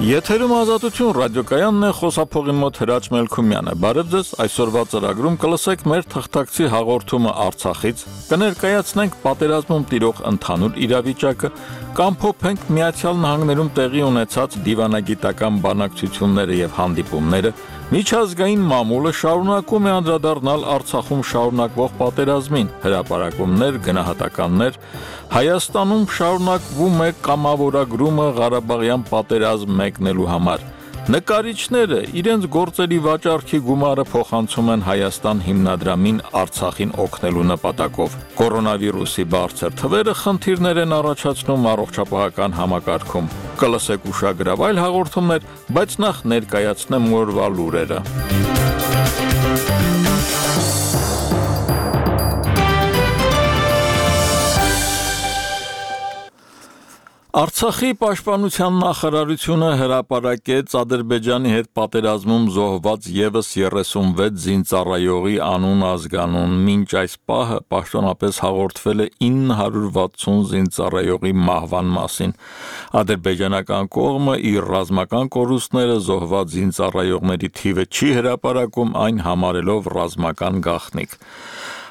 Եթերում ազատություն ռադիոկայանն է, խոսափողի մոտ Հրաչ Մելքումյանը։ Բարև ձեզ, այսօրվա ծրագրում կլսեք մեր թղթակցի հաղորդումը Արցախից, կներկայացնենք պատերազմում տիրող ընդհանուր իրավիճակը, կամփոփենք Միացյալ Նահանգներում տեղի ունեցած դիվանագիտական բանակցությունները եւ հանդիպումները, միջազգային մամուլը շարունակում է անդրադառնալ Արցախում շարունակվող պատերազմին, հրապարակումներ, գնահատականներ, Հայաստանում շարունակվում է կամավորագրումը Ղարաբաղյան պատերազմ մեկնելու համար։ Նկարիչները իրենց գործերի վաճառքի գումարը փոխանցում են Հայաստան հիմնադրամին Արցախին օգնելու նպատակով։ Կորոնավիրուսի բարձր թվերը խնդիրներ են առաջացնում առողջապահական համակարգում։ Կլսեք ուշագրավ այլ հաղորդումներ, բայց նախ ներկայացնեմ օրվա լուրերը։ Արցախի պաշտպանության նախարարությունը հրապարակեց Ադրբեջանի հետ պատերազմում զոհված ևս 36 զինծառայողի անուն ազգանուն, մինչ այս պահը պաշտոնապես հաղորդվել է 960 զինծառայողի մահվան մասին։ Ադրբեջանական կողմը իր ռազմական կորուստները զոհված զինծառայողների թիվը չի հրապարակում, այն համարելով ռազմական գաղտնիք։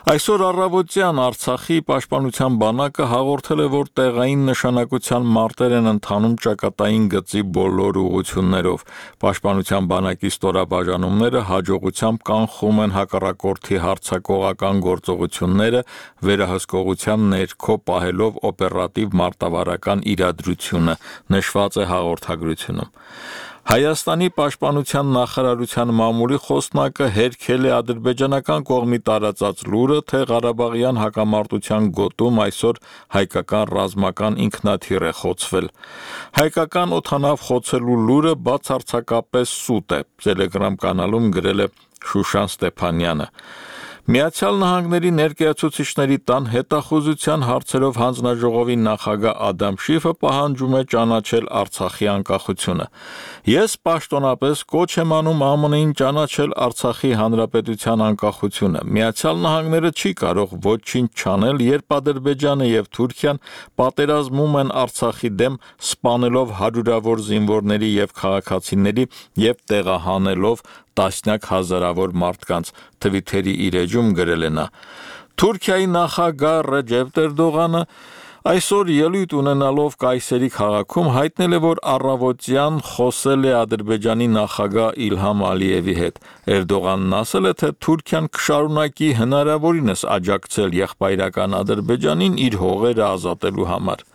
Այսօր առավոտյան Արցախի պաշտպանության բանակը հաղորդել է, որ տեղային նշանակության մարտեր են ընթանում ճակատային գծի բոլոր ուղղություններով։ Պաշտպանության բանակի ստորաբաժանումները հաջողությամբ կանխում են հակառակորդի հարձակողական գործողությունները, վերահսկողության ներքո պահելով օպերատիվ մարտավարական իրադրությունը, նշված է հաղորդագրությունում։ Հայաստանի պաշտպանության նախարարության մամուլի խոսնակը հերքել է ադրբեջանական կողմի տարածած լուրը, թե Ղարաբաղյան հակամարտության գոտում այսօր հայկական ռազմական ինքնաթիռ է խոցվել։ Հայկական օդանավ խոցելու լուրը բացարձակապես սուտ է, Telegram կանալում գրել է Շուշան Ստեփանյանը։ Միացյալ Նահանգների ներկայացուցիչների տան հետախուզության հարցերով հանձնաժողովի նախագահ Ադամ Շիֆը պահանջում է ճանաչել Արցախի անկախությունը։ Ես պաշտոնապես կոչ եմ անում ԱՄՆ-ին ճանաչել Արցախի հանրապետության անկախությունը։ Միացյալ Նահանգները չի կարող ոչինչ չանել, երբ Ադրբեջանը եւ Թուրքիան պատերազմում են Արցախի դեմ, սպանելով հարյուրավոր զինվորների եւ քաղաքացիների եւ տեղահանելով տասնյակ հազարավոր մարդկանց, Թվիթերի իր էջում գրել է նա։ Թուրքիայի նախագահ Ռեջեփ Էրդողանը այսօր ելույթ ունենալով Կայսերի քաղաքում հայտնել է, որ առավոտյան խոսել է Ադրբեջանի նախագահ Իլհամ Ալիևի հետ։ Էրդողանն ասել է, թե Թուրքիան կշարունակի հնարավորինս աջակցել եղբայրական Ադրբեջանին իր հողերը ազատելու համար։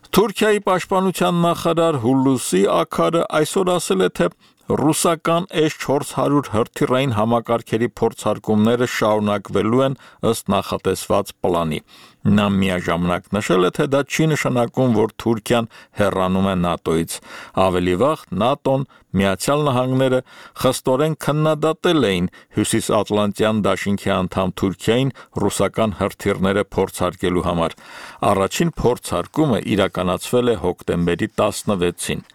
Թուրքիայի պաշտպանության նախարար Հուլուսի Աքարը այսօր ասել է, թե ռուսական S-400 հրթիռային համակարգերի փորձարկումները շարունակվելու են ըստ նախատեսված պլանի։ Նա միաժամանակ նշել է, թե դա չի նշանակում, որ Թուրքիան հեռանում է ՆԱՏՕ-ից։ Ավելի վաղ ՆԱՏՕ-ն, Միացյալ Նահանգները խստորեն քննադատել էին Հյուսիսատլանտյան դաշինքի անդամ Թուրքիային ռուսական հրթիռները փորձարկելու համար։ Առաջին փորձարկումը իրականացվել է հոկտեմբերի 16-ին։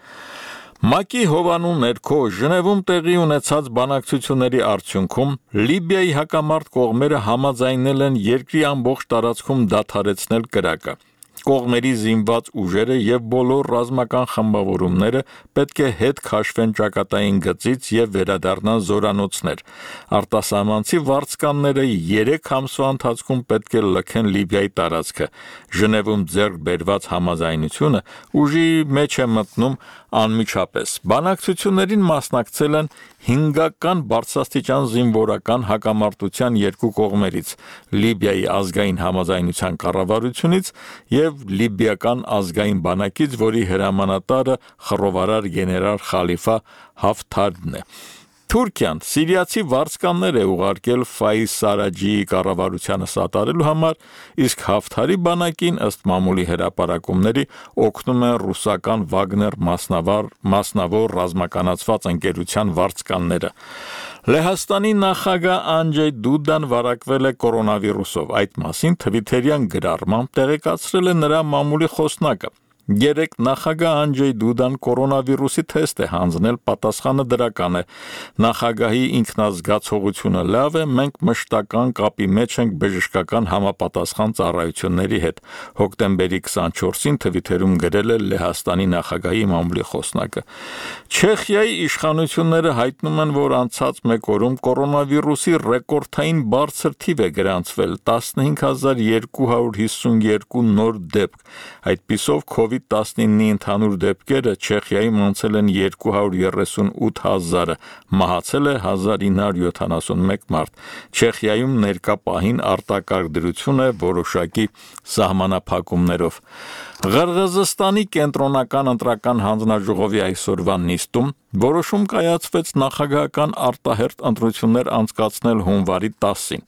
ՄԱԿ-ի հովանու ներքո Ժնևում տեղի ունեցած բանակցությունների արդյունքում Լիբիայի հակամարտ կողմերը համաձայնել են երկրի ամբողջ տարածքում դադարեցնել կրակը։ Կողմերի զինված ուժերը եւ բոլոր ռազմական խմբավորումները պետք է հետ քաշվեն ճակատային գծից եւ վերադառնան զորանոցներ։ Արտասահմանցի վարձկանները 3 ամսվա ընթացքում պետք է լքեն Լիբիայի տարածքը։ Ժնևում ձեռք բերված համաձայնությունը ուժի մեջ է մտնում անմիջապես։ Բանակցություններին մասնակցել են 5-ական բարձրաստիճան զինվորական հակամարտության երկու կողմերից՝ Լիբիայի ազգային համաձայնության կառավարությունից եւ Լիբիական ազգային բանակից, որի հրամանատարը խռովարար գեներալ Խալիֆա Հաֆթարն է։ Թուրքիան սիրիացի վարձկաններ է ուղարկել Ֆայիզ Սարաջիի կառավարությանը սատարելու համար, իսկ Հաֆթարի բանակին ըստ մամուլի հրապարակումների օգնում են ռուսական Վագներ մասնավոր ռազմականացված ընկերության վարձկանները։ Լեհաստանի նախագահ Անջեյ Դուդան վարակվել է կորոնավիրուսով։ Այդ մասին Թվիթերյան գրառմամբ տեղեկացրել է նրա մամուլի խոսնակը։ Երեք նախագահ Անջեյ Դուդան կորոնավիրուսի թեստ է հանձնել, պատասխանը դրական է. նախագահի ինքնազգացողությունը լավ է, մենք մշտական կապի մեջ ենք բժշկական համապատասխան ծառայությունների հետ։ Հոկտեմբերի 24-ին Թվիթերում գրել է Լեհաստանի նախագահի մամուլի խոսնակը։ Չեխիայի իշխանությունները հայտնում են, որ անցած մեկ օրում կորոնավիրուսի ռեկորդային բարձր թիվ է գրանցվել՝ 15252 նոր դեպք։ Այդպիսով COVID-19-ի ընդհանուր դեպքերը Չեխիայում անցել են 238,000-ը, մահացել է 1971 մարդ։ Չեխիայում ներկա պահին արտակարգ դրություն է որոշակի սահմանափակումներով։ Ղրղըզստանի կենտրոնական ընտրական հանձնաժողովի այսօրվա նիստում որոշում կայացվեց նախագահական արտահերթ ընտրություններ անցկացնել հունվարի 10-ին։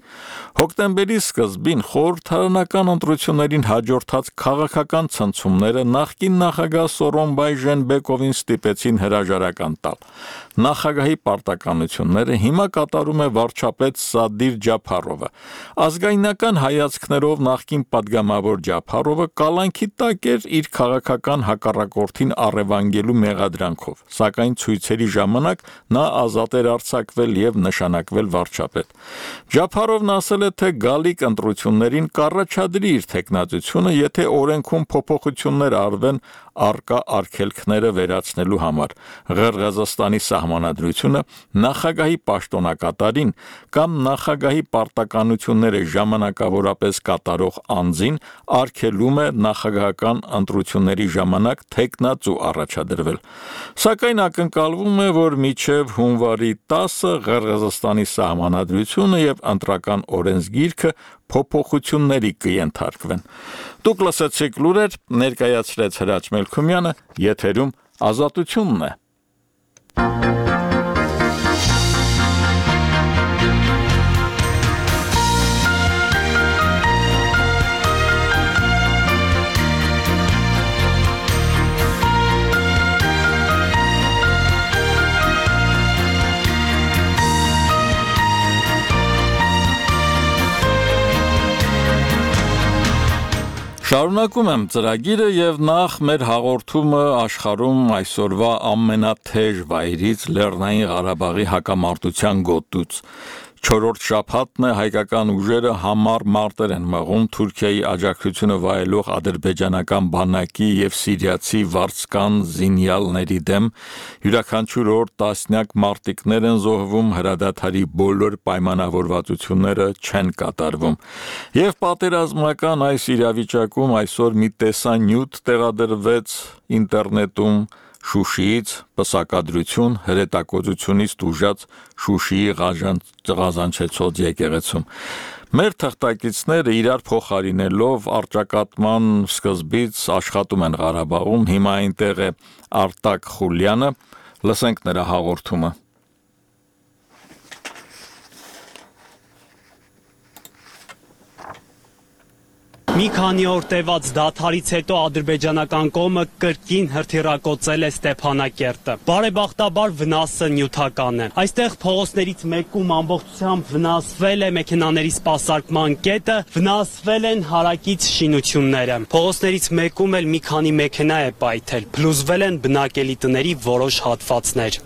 Հոկտեմբերի սկզբին խորհրդարանական ընտրություններին հաջորդած քաղաքական ցնցումները նախկին նախագահ Սորոնբայ Ժենբեկովին ստիպեցին հրաժարական տալ։ Նախագահի պարտականությունները հիմա կատարում է վարչապետ Սադիր Ջափարովը։ Ազգայնական հայացքներով նախկին падգամավոր Ջափարովը կալանքի տակ էր իր քաղաքական հակառակորդին առևանգելու մեղադրանքով, սակայն ցույցերի ժամանակ նա ազատ էր արձակվել եւ նշանակվել վարչապետ։ Ջափարովն ասել է, թե գալիք ընտրություններին կառաջադրի իր թեկնածությունը, եթե օրենքում փոփոխություններ արվեն առկա արգելքները վերացնելու համար։ Ղրղըզստանի սահմանադրությունը նախագահի պաշտոնակատարին կամ նախագահի պարտականությունները ժամանակավորապես կատարող անձին արգելում է նախագահական ընտրությունների ժամանակ թեկնածու առաջադրվել։ Սակայն ակնկալվում է, որ մինչև հունվարի 10-ը Ղրղըզստանի սահմանադրությունը եւ ընտրական օրենսգիրքը փոփոխությունների կենթարկվեն։ Դուք լսեցիք լուրեր, ներկայացրեց Հրաչ Մելքումյանը, եթերում Ազատությունն է։ Շարունակում եմ ծրագիրը եւ նախ մեր հաղորդումը աշխարհում այսօրվա ամենաթեժ վայրից Լեռնային Ղարաբաղի հակամարտության գոտուց։ 4-րդ շաբաթն է հայկական ուժերը համառ մարտեր են մղում Թուրքիայի աջակցությունը վայելող ադրբեջանական բանակի եւ սիրիացի վարձկան զինյալների դեմ։ Յուրաքանչյուր օր տասնյակ մարտիկներ են զոհվում, հրադադարի բոլոր պայմանավորվածությունները չեն կատարվում։ Եվ պատերազմական այս իրավիճակում այսօր մի տեսանյութ տեղադրվեց ինտերնետում Շուշիից պսակադրություն հրետակոծությունից տուժած Շուշիի Ղազանչեցոտ եկեղեցում։ Մեր թղթակիցները իրար փոխարինելով առճակատման սկզբից աշխատում են Ղարաբաղում, հիմա այնտեղ է Արտակ Խուլյանը, լսենք նրա հաղորդումը։ Մի քանի օր տևած դադարից հետո ադրբեջանական կողմը կրկին հրթիռակոծել է Ստեփանակերտը։ Բարեբախտաբար վնասը նյութական է։ Այստեղ փողոցներից մեկում ամբողջությամբ վնասվել է մեքենաների սպասարկման կետը, վնասվել են հարակից շինությունները։ Փողոցներից մեկում էլ մի քանի մեքենա է պայթել, փլուզվել են բնակելի տների որոշ հատվածներ։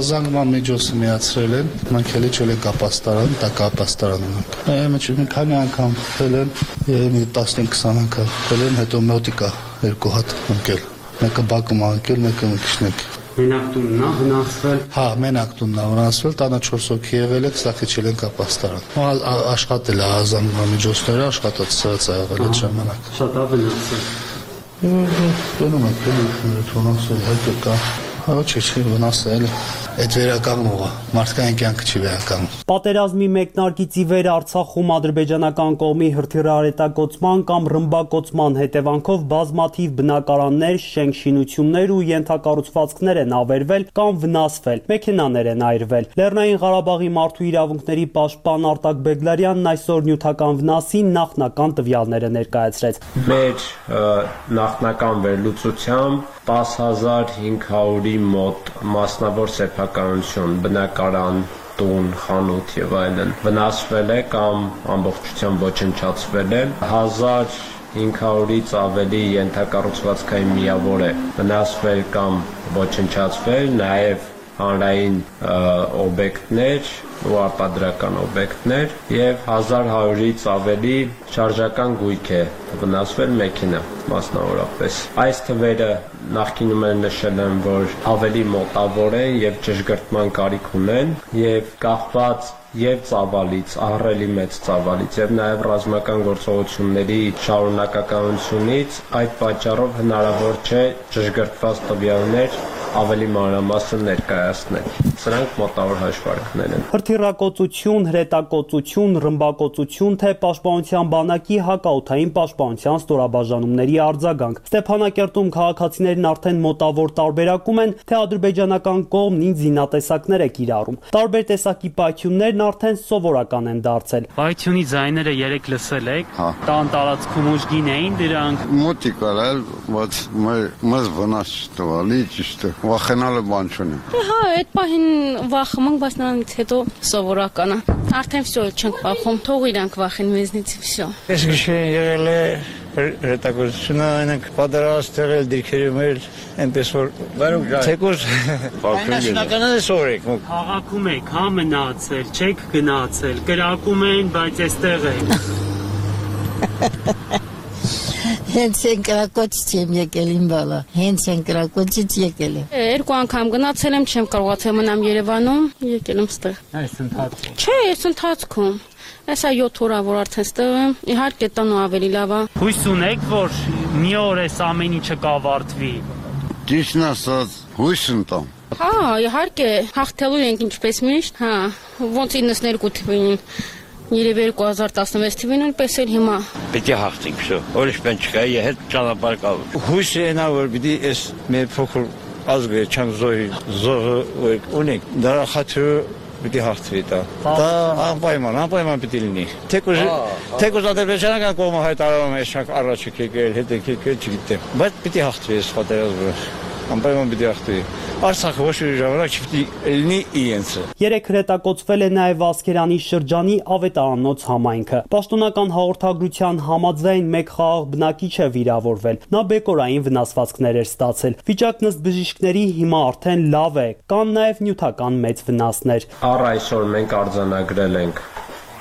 Զանգման միջոցը միացրել են, մենք էլի չել ենք ապաստարան, տակ ապաստարան ունենք։ Մի քանի անգամ թել են, 15-20 անգամ թել են, հետո մոտիկա 2 հատ ընկել։ Մեկը բակում անկել, մեկը մի քիչ։ Մենակ տունն է վնասվել։ Հա, մենակ տունն է վնասվել, տանը 4 հոգի եղել է, ստախիչել ենք ապաստարան։ Աշխատել է զանգման միջոցները, աշխատած սա եղել այդ ժամանակ։ Շատ է վնասել։ Տոնում եք, վնասել, հետո կա։ Ոչ, վնասել է։ Այդ վերականգնողը, մարդկային կյանքը չի վերականգնում։ Պատերազմի մեկնարկից ի վեր Արցախում ադրբեջանական կողմի հրթիռահրետակոծման կամ ռմբակոծման հետևանքով բազմաթիվ բնակարաններ, շենք-շինություններ ու ենթակառուցվածքներ են ավերվել կամ վնասվել, մեքենաներ են այրվել։ Լեռնային Ղարաբաղի մարդու իրավունքների պաշտպան Արտակ Բեգլարյանն այսօր նյութական վնասի նախնական տվյալները ներկայացրեց։ Մեր նախնական վերլուծությամբ 10,500-ի մոտ մասնավոր սեփականություն, բնակարան, տուն, խանութ եւ այլն վնասվել է կամ ամբողջությամբ ոչնչացվել է, 500-ից ավելի ենթակառուցվածքային միավոր է վնասվել կամ ոչնչացվել, նաև հանրային օբյեկտներ ու արտադրական օբյեկտներ եւ 1100-ից ավելի շարժական գույք է վնասվել մեքենա մասնավորապես։ Այս թվերը նախկինում էլ նշել եմ, որ ավելի մոտավոր են եւ ճշգրտման կարիք ունեն եւ կախված եւ ծավալից, ահռելի մեծ ծավալից եւ նաեւ ռազմական գործողությունների շարունակականությունից այդ պատճառով հնարավոր չէ ճշգրտված տվյալներ ավելի մանրամասն ներկայացնել։ Սրանք մոտավոր հաշվարկներ են։ Հրթիռակոծություն, հրետակոծություն, ռմբակոծություն, թե պաշտպանության բանակի հակաօդային պաշտպանության ստորաբաժանումների արձագանք։ Ստեփանակերտում քաղաքացիներն արդեն մոտավոր տարբերակում են, թե ադրբեջանական կողմն ինչ զինատեսակներ է կիրառում։ Տարբեր տեսակի պայթյուններն արդեն սովորական են դարձել։ Պայթյունի ձայները երեք լսել եք։ Տան տարածքում ուժգին էին դրանք։ Մոտիկ արել, բայց մեզ վնաս տվալի ճիշտ է։ Վախենալը բան չունի։ Հա, այդ պահին վախում ենք, բայց նրանից հետո սովորական է։ Արդեն վсё չենք վախում, թող իրանք վախեն մեզնից վсё։ Ես գիշեր եղել է հրետակոծությունը, այնենք պատերազմ եղել դիրքերի մեր, այնպես որ թեկուզ այնաշնականը սովորեք։ Քաղաքում եք, հա մնացել, չեք գնացել, կրակում են, բայց այստեղ եք։ Հենց ընկրակոծից եմ եկել իմ բալա, հենց ընկրակոծից եկել եմ։ Երկու անգամ գնացել եմ, չեմ կարողացել մնամ Երևանում, եկել եմ ստեղ։ Այս ընթացքում։ Չէ, այս ընթացքում։ Այսա 7 օր որ արդեն ստեղ եմ, իհարկե տանու ավելի լավ է։ Հույս ունեք, որ մի օր այս ամեն ինչը կավարտվի։ Ճիշտն ասած, հույս ընտամ։ Հա, իհարկե, հաղթելու ենք ինչպես միշտ, հա, ոնց 92 թվին։ Երևի 2016 թվին նույնպես էլ հիմա։ Պետք է հաղթենք, վсё։ Ուրիշ բան չկա, հետ ճանապարհ կա։ Հույսը այնա որ պիտի այս մեր փոքր ազգը չան զոհը ունենք, դրա խաթրը պիտի հաղթվի դա։ Դա անպայման պիտի լինի։ Թեկուզ ադրբեջանական կողմը հայտարարում է շակ առաջ եկել, հետ եկել, չգիտեմ, բայց պիտի հաղթվի այս պատերազմը։ Անպայման պիտի հաղթվի։ Արցախը ոչ մի ժամանակ չպիտի լինի իրենցը։ Երեք հրետակոծվել է նաև Ասկերանի շրջանի Ավետարանոց համայնքը։ Պաշտոնական հաղորդագրության համաձայն մեկ խաղաղ բնակիչ է վիրավորվել։ Նա բեկորային վնասվածքներ էր ստացել։ Վիճակն ըստ բժիշկների հիմա արդեն լավ է, կան նաև նյութական մեծ վնասներ։ Առ այսօր մենք արձանագրել ենք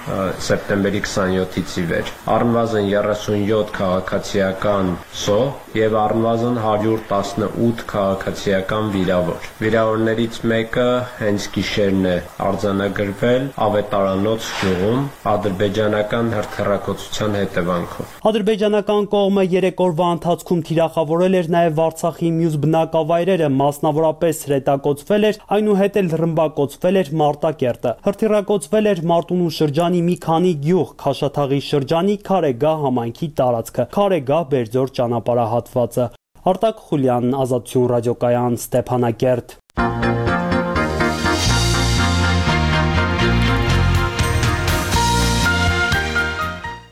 սեպտեմբերի 27-ից ի վեր առնվազն 37 քաղաքացիական զոհ եւ առնվազն 118 քաղաքացիական վիրավոր։ Վիրավորներից մեկը հենց գիշերն է արձանագրվել Ավետարանոց գյուղում ադրբեջանական հրթիռակոծության հետևանքով։ Ադրբեջանական կողմը 3 օրվա ընթացքում թիրախավորել էր նաև Արցախի մյուս բնակավայրերը, մասնավորապես հրետակոծվել էր, այնուհետ էլ ռմբակոծվել էր Մարտակերտը։ Հրթիռակոծվել էր Մարտունու շրջանի մի քանի գյուղ, Քաշաթաղի շրջանի Քարեգահ համայնքի տարածքը, Քարեգահ-Բերձոր ճանապարհահատվածը։ Արտակ Խուլյան, Ազատություն ռադիոկայան, Ստեփանակերտ։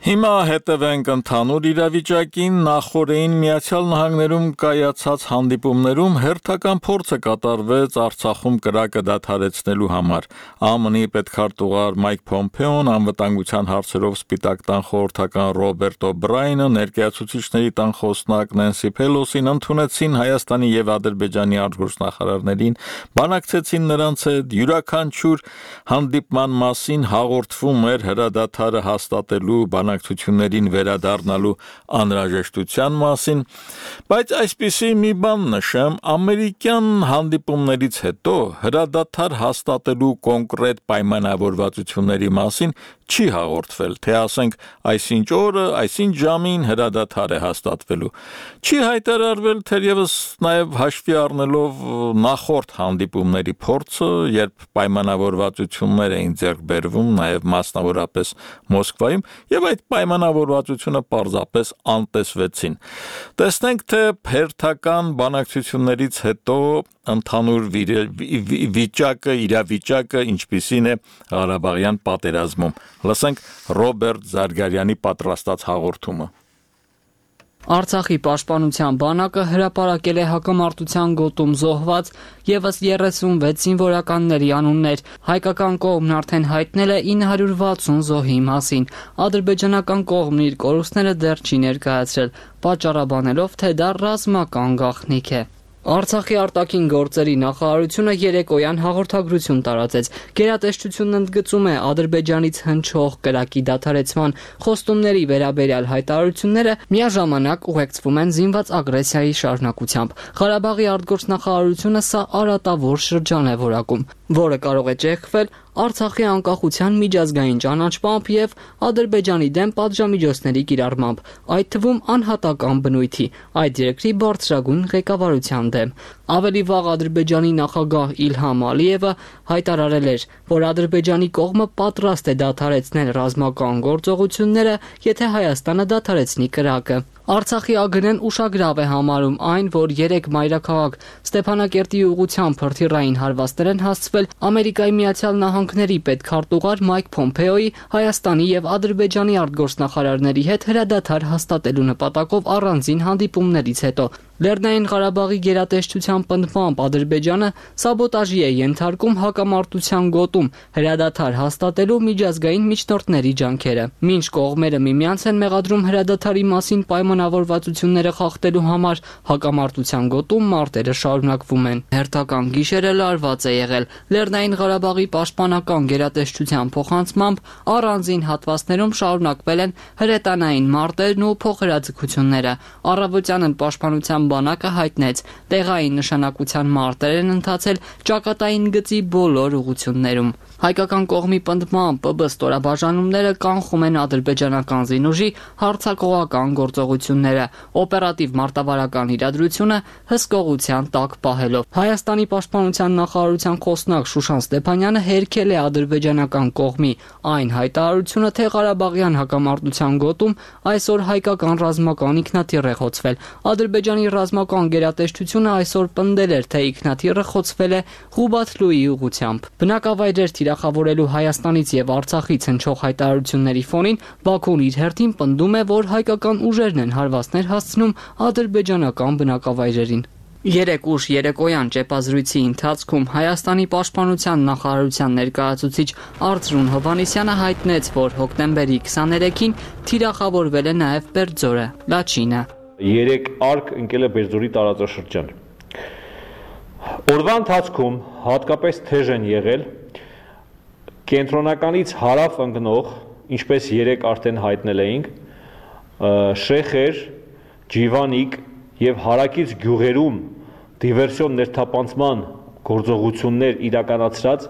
Հիմա հետևենք ընդհանուր իրավիճակին։ Նախորդին Միացյալ Նահանգներում կայացած հանդիպումներում հերթական փորձ է կատարվեց Արցախում կրակը դադարեցնելու համար։ ԱՄՆ-ի պետքարտուղար Մայք Փոմփեոն, անվտանգության հարցերով Սպիտակ տան խորհրդական Ռոբերտ Օբրայնը, ներկայացուցիչների տան խոսնակ Նենսի Փելոսին ընդունեցին Հայաստանի եւ Ադրբեջանի արտգործնախարարներին, բանակցեցին նրանց հետ, յուրաքանչյուր հանդիպման մասին հաղորդվում էր հրադադարը հաստատելու բանակցություններին վերադառնալու անհրաժեշտության մասին, բայց այսպիսի մի բան նշեմ, ամերիկյան հանդիպումներից հետո հրադադար հաստատելու կոնկրետ պայմանավորվածությունների մասին չի հաղորդվել, թե ասենք այսինչ օրը, այսինչ ժամին հրադադար է հաստատվելու։ Չի հայտարարվել թերևս նաև հաշվի առնելով նախորդ հանդիպումների փորձը, երբ պայմանավորվածություններ էին ձեռք բերվում նաև մասնավորապես Մոսկվայում, եւ այդ պայմանավորվածությունը պարզապես անտեսվեցին։ Տեսնենք, թե հերթական բանակցություններից հետո ընդհանուր իրավիճակը ինչպիսին է Ղարաբաղյան պատերազմում։ Լսենք Ռոբերտ Զարգարյանի պատրաստած հաղորդումը։ Արցախի պաշտպանության բանակը հրապարակել է հակամարտության գոտում զոհված եւս 36 զինվորականների անուններ։ Հայկական կողմն արդեն հայտնել է 960 զոհի մասին։ Ադրբեջանական կողմն իր կորուստները դեռ չի ներկայացրել, պատճառաբանելով, թե դա ռազմական գաղտնիք է։ Արցախի արտաքին գործերի նախարարությունը երեկոյան հաղորդագրություն տարածեց։ Գերատեսչությունն ընդգծում է Ադրբեջանից հնչող կրակի դադարեցման խոստումների վերաբերյալ հայտարարությունները միաժամանակ ուղեկցվում են զինված ագրեսիայի շարունակությամբ։ Ղարաբաղի արտգործնախարարությունը սա արատավոր շրջան է որակում, որը կարող է ճեղքվել Արցախի անկախության միջազգային ճանաչմամբ եւ Ադրբեջանի դեմ պատժամիջոցների կիրառմամբ, այդ թվում անհատական բնույթի, այդ երկրի բարձրագույն ղեկավարության դեմ։ Ավելի վաղ Ադրբեջանի նախագահ Իլհամ Ալիևը հայտարարել էր, որ Ադրբեջանի կողմը պատրաստ է դադարեցնել ռազմական գործողությունները, եթե Հայաստանը դադարեցնի կրակը։ Արցախի ԱԳՆ-ն ուշագրավ է համարում այն, որ 3 մայրաքաղաք Ստեփանակերտի ուղղությամբ հրթիռային հարվածներ են հասցվել Ամերիկայի Միացյալ Նահանգների պետքարտուղար Մայք Փոմփեոյի, Հայաստանի եւ Ադրբեջանի արտգործնախարարների հետ հրադադար հաստատելու նպատակով առանձին հանդիպումներից հետո։ Լեռնային Ղարաբաղի գերատեսչության պնդմամբ Ադրբեջանը սաբոտաժի է ենթարկում հակամարտության գոտում հրադադար հաստատելու միջազգային միջնորդների ջանքերը։ Մինչ կողմերը միմյանց են մեղադրում հրադադարի մասին պայմանավորվածությունները խախտելու համար, հակամարտության գոտում մարտերը շարունակվում են։ Հերթական գիշերը լարված է եղել։ Լեռնային Ղարաբաղի պաշտպանական գերատեսչության փոխանցմամբ առանձին հատվածներում շարունակվել են հրետանային մարտերն ու փոխհրաձգությունները։ Առավոտյանն պաշտպանության բանակը հայտնեց, տեղային նշանակության մարտեր են ընթացել ճակատային գծի բոլոր ուղություններում։ Հայկական կողմի պնդմամբ ՊԲ ստորաբաժանումները կանխում են ադրբեջանական զինուժի հարձակողական գործողությունները, օպերատիվ մարտավարական իրադրությունը հսկողության տակ պահելով։ Հայաստանի պաշտպանության նախարարության խոսնակ Շուշան Ստեփանյանը հերքել է ադրբեջանական կողմի այն հայտարարությունը, թե Ղարաբաղյան հակամարտության գոտում այսօր հայկական ռազմական ինքնաթիռ է խոցվել։ Ադրբեջանի ռազմական գերատեսչությունը այսօր պնդել էր, թե ինքնաթիռը խոցվել է Ղուբաթլուի ուղղությամբ։ Բնակավայրեր թիրախավորելու Հայաստանից եւ Արցախից հնչող հայտարարությունների ֆոնին Բաքուն իր հերթին պնդում է, որ հայկական ուժերն են հարվածներ հասցնում ադրբեջանական բնակավայրերին։ Երեկ ուշ երեկոյան ճեպազրույցի ընթացքում Հայաստանի պաշտպանության նախարարության ներկայացուցիչ Արծրուն Հովհաննիսյանը հայտնեց, որ հոկտեմբերի 23-ին թիրախավորվել է նաև Բերձորը, Լաչինը։ Երեք արկ ընկել է Բերձորի տարածաշրջան։ Օրվա ընթացքում հատկապես թեժ են եղել կենտրոնականից հարավ ընկնող, ինչպես երեք արդեն հայտնել էինք, Շեխեր, Ջիվանիկ եւ հարակից գյուղերում դիվերսիոն ներթափանցման գործողություններ իրականացրած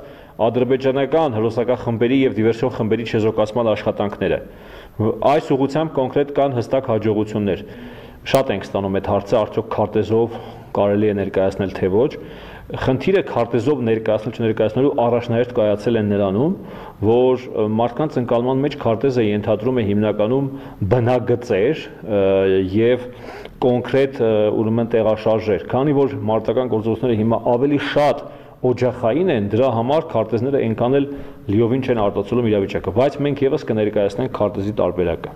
ադրբեջանական հրոսակախմբերի խմբերի եւ դիվերսիոն խմբերի չեզոքացման աշխատանքները։ Այս ուղղությամբ կոնկրետ կան հստակ հաջողություններ։ Շատ ենք ստանում այդ հարցը, արդյոք քարտեզով կարելի է ներկայացնել թե ոչ։ Խնդիրը քարտեզով ներկայացնել չներկայացնելու առաջնահերթ կայացել են նրանում, որ մարդկանց ընկալման մեջ քարտեզը ենթադրում է հիմնականում բնագծեր եւ կոնկրետ ուրեմն տեղաշարժեր, քանի որ մարտական գործողությունները հիմա ավելի շատ օջախային են, դրա համար քարտեզները այնքան էլ լիովին չեն արտացոլում իրավիճակը, բայց մենք եւս կներկայացնենք քարտեզի տարբերակը։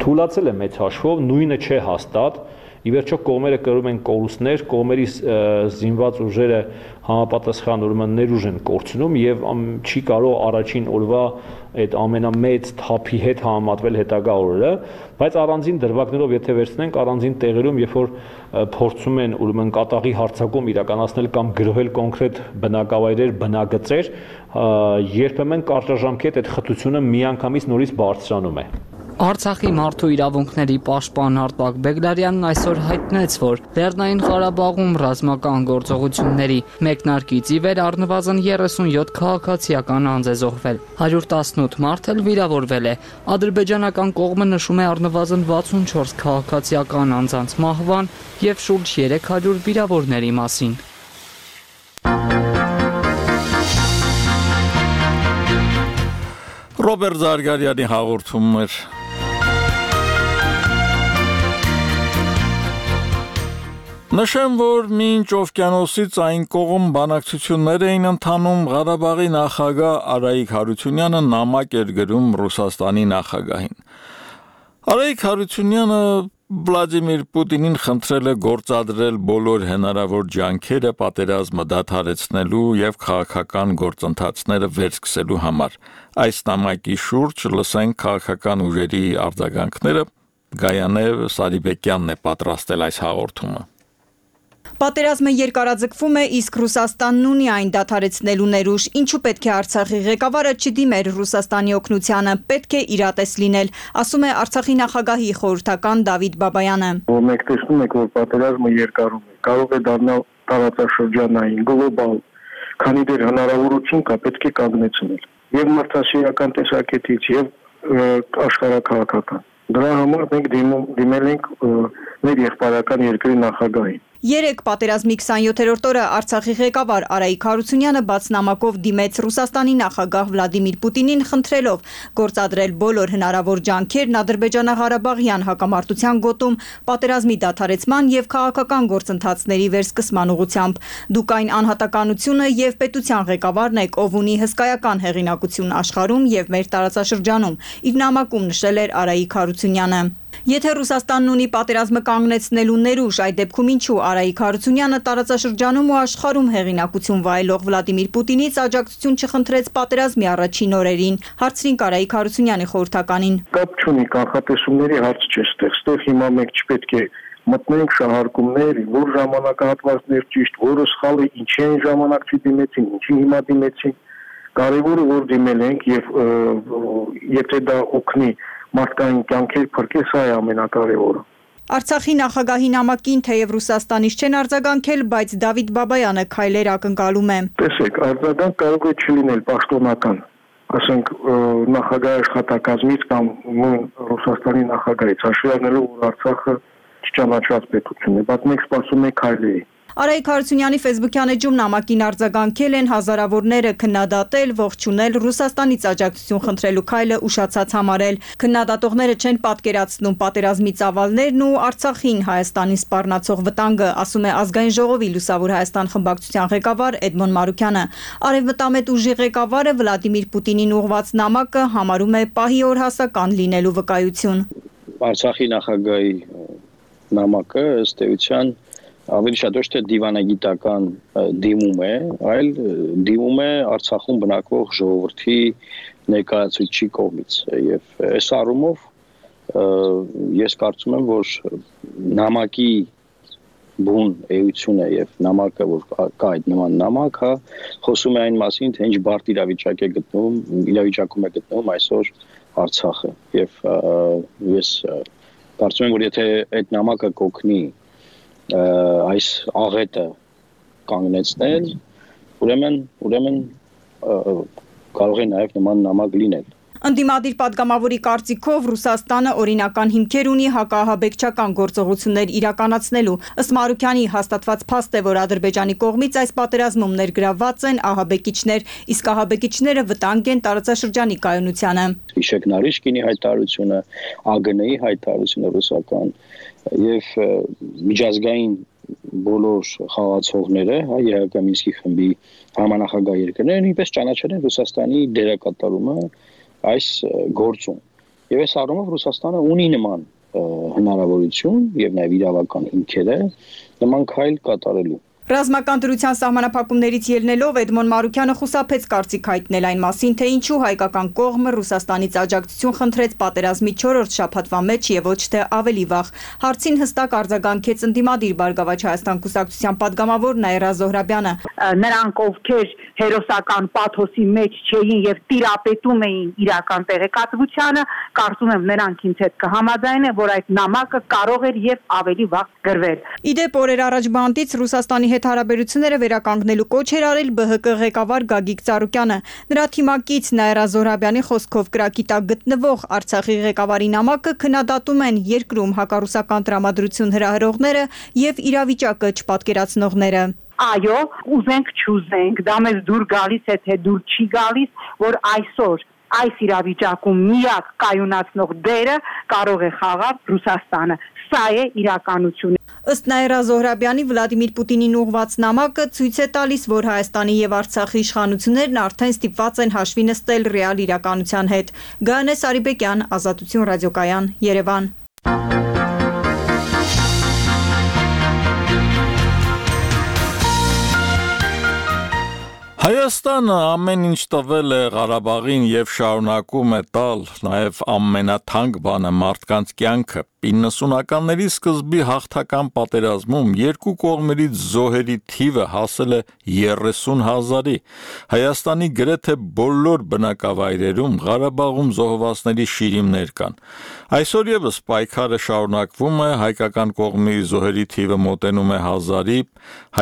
Թույլացել է մեծ հաշվով, նույնը չէ հաստատ, ի վերջո կողմերը կրում են կորուստներ, կողմերի զինված ուժերը համապատասխան ուրեմն ներուժ են կորցնում եւ չի կարող առաջին օրվա այդ ամենամեծ թափի հետ համեմատվել հետագա օրերը, բայց առանձին դրվագներով եթե վերցնենք առանձին տեղերում, երբ որ փորձում են ուրեմն կատաղի հարձակում իրականացնել կամ գրոհել կոնկրետ բնակավայրեր, բնագծեր, երբեմն կարճաժամկետ այդ խտությունը միանգամից նորից բարձրանում է։ Արցախի մարդու իրավունքների պաշտպան Արտակ Բեգլարյանն այսօր հայտնեց, որ Լեռնային Ղարաբաղում ռազմական գործողությունների մեկնարկից ի վեր առնվազն 37 քաղաքացիական անձ է զոհվել, 118 մարդ էլ վիրավորվել է։ Ադրբեջանական կողմը նշում է առնվազն 64 քաղաքացիական անձանց մահվան եւ շուրջ 300 վիրավորների մասին։ Ռոբերտ Զարգարյանի հաղորդումներ։ Նշեմ, որ մինչ օվկիանոսից այն կողմ բանակցություններ էին ընթանում, Ղարաբաղի նախագահ Արայիկ Հարությունյանը նամակ էր գրում Ռուսաստանի նախագահին։ Արայիկ Հարությունյանը Վլադիմիր Պուտինին խնդրել է գործադրել բոլոր հնարավոր ջանքերը պատերազմը դադարեցնելու եւ քաղաքական գործընթացները վերսկսելու համար։ Այս նամակի շուրջ լսենք քաղաքական ուժերի արձագանքները։ Գայանե Սարիբեկյանն է պատրաստել այս հաղորդումը։ Պատերազմը երկարաձգվում է, իսկ Ռուսաստանն ունի այն դադարեցնելու ներուժ, ինչու պետք է Արցախի ղեկավարը չդիմեր Ռուսաստանի օգնությանը, պետք է իրատես լինել, ասում է Արցախի նախագահի խորհրդական Դավիթ Բաբայանը։ Մենք տեսնում ենք, որ պատերազմը երկարում է, կարող է դառնալ տարածաշրջանային, գլոբալ, քանի դեռ հնարավորություն կա, պետք է կանգնեցնել եւ մարդասիրական տեսակետից եւ աշխարհակաղակական։ Դրա համար մենք դիմել ենք մեր եղբայրական երկրի նախագահին։ Երեկ պատերազմի 27-րդ օրը Արցախի ղեկավար Արայիկ Հարությունյանը բաց նամակով դիմեց Ռուսաստանի նախագահ Վլադիմիր Պուտինին խնդրելով գործադրել բոլոր հնարավոր ջանքերն Ադրբեջանա-Ղարաբաղյան հակամարտության գոտում պատերազմի դադարեցման եւ քաղաքական գործընթացների վերսկսման ուղղությամբ։ Դուք այն անհատականությունը եւ պետության ղեկավարն եք, ով ունի հսկայական հեղինակություն աշխարհում եւ մեր տարածաշրջանում, իր նամակում նշել էր Արայիկ Հարությունյանը։ Եթե Ռուսաստանն ունի պատերազմը կանգնեցնելու ներուժ, այդ դեպքում ինչու Արայիկ Հարությունյանը տարածաշրջանում ու աշխարհում հեղինակություն վայելող Վլադիմիր Պուտինից աջակցություն չխնդրեց պատերազմի առաջին օրերին, հարցրին Արայիկ Հարությունյանի խորհրդականին։ Կապ չունի, կանխատեսումների հարց չէ ստեղ հիմա մենք չպետք է մտնենք շահարկումներ, որ ժամանակահատվածներ ճիշտ, որը սխալ է, ինչի այն ժամանակ չդիմեցին, ինչի հիմա դիմեցին։ Կարևորը որ դիմել ենք եւ եթե դա օգնի մարդկային կյանքեր փրկել, սա է ամենակարևորը։ Արցախի նախագահի նամակին թեև Ռուսաստանից չեն արձագանքել, բայց Դավիթ Բաբայանը քայլեր ակնկալում է։ Տեսեք, արձագանք կարող է չլինել պաշտոնական, ասենք նախագահի աշխատակազմից կամ Ռուսաստանի նախագահից, հաշվի առնելով որ Արցախը չճանաչված պետություն է, բայց մենք սպասում ենք քայլերի։ Արայիկ Հարությունյանի ֆեյսբուքյան էջում նամակին արձագանքել են հազարավորները քննադատել, ողջունել Ռուսաստանից աջակցություն խնդրելու քայլը ուշացած համարել։ Քննադատողները չեն պատկերացնում պատերազմի ծավալներն ու Արցախին Հայաստանին սպառնացող վտանգը, ասում է Ազգային ժողովի Լուսավոր Հայաստան խմբակցության ղեկավար Էդմոն Մարուկյանը։ Արևմտամետ ուժի ղեկավարը Վլադիմիր Պուտինին ուղղված նամակը համարում է պահի օրհասական լինելու վկայություն։ Արցախի նախագահի նամակը ըստ էության ավելի շատ ոչ թե դիվանագիտական դիմում է, այլ դիմում է Արցախում բնակվող ժողովրդի ներկայացուցիչի կողմից եւ այս առումով ես կարծում եմ, որ նամակի բուն էությունը եւ նամակը, որ կա այդ նման նամակ, խոսում է այն մասին, թե ինչ բարդ իրավիճակում է գտնվում այսօր Արցախը եւ ես կարծում եմ, որ եթե այդ նամակը կօգնի այս աղետը կանգնեցնել, ուրեմն կարող է նաև նման նամակ լինել։ Ընդդիմադիր պատգամավորի կարծիքով Ռուսաստանը օրինական հիմքեր ունի հակահաբեկչական գործողություններ իրականացնելու։ Ըստ Մարուկյանի հաստատված փաստ է, որ Ադրբեջանի կողմից այս պատերազմում ներգրավված են ահաբեկիչներ, իսկ ահաբեկիչները վտանգ են տարածաշրջանի կայունությանը։ Հիշեք Նարիշկինի հայտարարությունը, ԱԳՆ-ի հայտարարությունը ռուսական եւ միջազգային բոլոր խաղացողները, ԵՀԿ Մինսկի խմբի համանախագահ երկրները նույնպես ճանաչել են Ռուսաստանի դերակատարումը այս գործում։ Եվ այս առումով Ռուսաստանը ունի նման հնարավորություն եւ նաեւ իրավական հիմքեր է նման քայլ կատարելու։ Ռազմական դրության սահմանափակումներից ելնելով Էդմոն Մարուկյանը խուսափեց կարծիք հայտնել այն մասին, թե ինչու հայկական կողմը Ռուսաստանից աջակցություն խնդրեց պատերազմի 4-րդ շաբաթվա մեջ եւ ոչ թե ավելի վաղ։ Հարցին հստակ արձագանքեց ընդդիմադիր Բարգավաճ Հայաստան կուսակցության падգամավոր Նաիրա Զոհրաբյանը։ Նրանք ովքեր հերոսական պաթոսի մեջ չէին եւ տիրապետում էին իրական տեղեկատվությանը, կարծում եմ նրանք ինձ հետ կհամաձայնեն, որ այդ նամակը կարող էր եւ ավելի վաղ գրվել։ Իդեպ օրեր առաջ բանտից Ռուսաստանի հետ հարաբերությունները վերականգնելու կոչ էր արել ԲՀԿ ղեկավար Գագիկ Ծառուկյանը։ Նրա թիմակից Նաիրա Զոհրաբյանի խոսքով կրակի տակ գտնվող Արցախի ղեկավարի նամակը քննադատում են երկրում հակառուսական տրամադրություն հրահրողները եւ իրավիճակը չպատկերացնողները։ Այո, ուզենք չուզենք, դա մեզ դուր գալիս է, թե դուր չի գալիս, որ այսօր այս իրավիճակում միակ կայունացնող դերը կարող է խաղալ Ռուսաստանը։ Սա է իրականությունը։ Ըստ Նաիրա Զոհրաբյանի Վլադիմիր Պուտինին ուղղված նամակը ցույց է տալիս, որ Հայաստանի եւ Արցախի իշխանություններն արդեն ստիպված են հաշվի նստել ռեալ իրականության հետ։ Գայանե Սարիբեկյան, Ազատություն ռադիոկայան, Երևան։ Հայաստանը ամեն ինչ տվել է Ղարաբաղին եւ շարունակում է տալ, նաեւ ամենաթանկ բանը մարդկանց կյանքը։ 90-ականների սկզբի հաղթական պատերազմում երկու կողմերից զոհերի թիվը հասել է 30,000-ի։ Հայաստանի գրեթե բոլոր բնակավայրերում Ղարաբաղում զոհվածների շիրիմներ կան։ Այսօր եւս պայքարը շարունակվում է, հայկական կողմի զոհերի թիվը մոտենում է 1000-ի,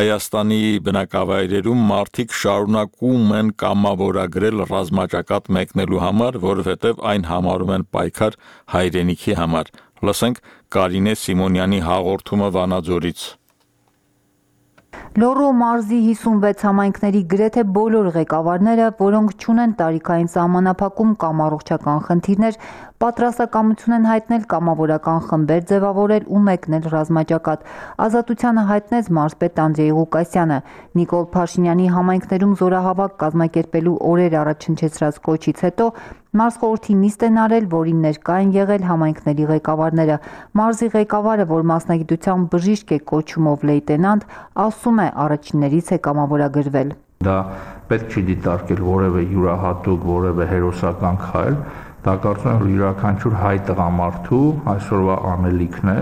Հայաստանի բնակավայրերում մարդիկ շարունակում են կամավորագրել ռազմաճակատ մեկնելու համար, որովհետև այն համարում են պայքար հայրենիքի համար։ Լսենք Կարինե Սիմոնյանի հաղորդումը Վանաձորից։ Լոռու մարզի 56 համայնքների գրեթե բոլոր ղեկավարները, որոնք չունեն տարիքային սահմանափակում կամ առողջական խնդիրներ, պատրաստակամություն են հայտնել կամավորական խմբեր ձևավորել ու մեկնել ռազմաճակատ։ Ազատությանը հայտնեց մարզպետ Անդրեյ Ղուկասյանը։ Նիկոլ Փաշինյանի համայնքներում զորահավաք կազմակերպելու օրեր առաջ հնչեցրած կոչից հետո մարզխորհրդի նիստ են արել, որին ներկա են եղել համայնքների ղեկավարները։ Մարզի ղեկավարը, որ մասնագիտությամբ բժիշկ է կոչումով լեյտենանտ, ասում է առաջիններից է կամավորագրվել։ Դա պետք չի դիտարկել որևէ յուրահատուկ, որևէ հերոսական քայլ, դա կարծում եմ յուրաքանչյուր հայ տղամարդու այսօրվա անելիքն է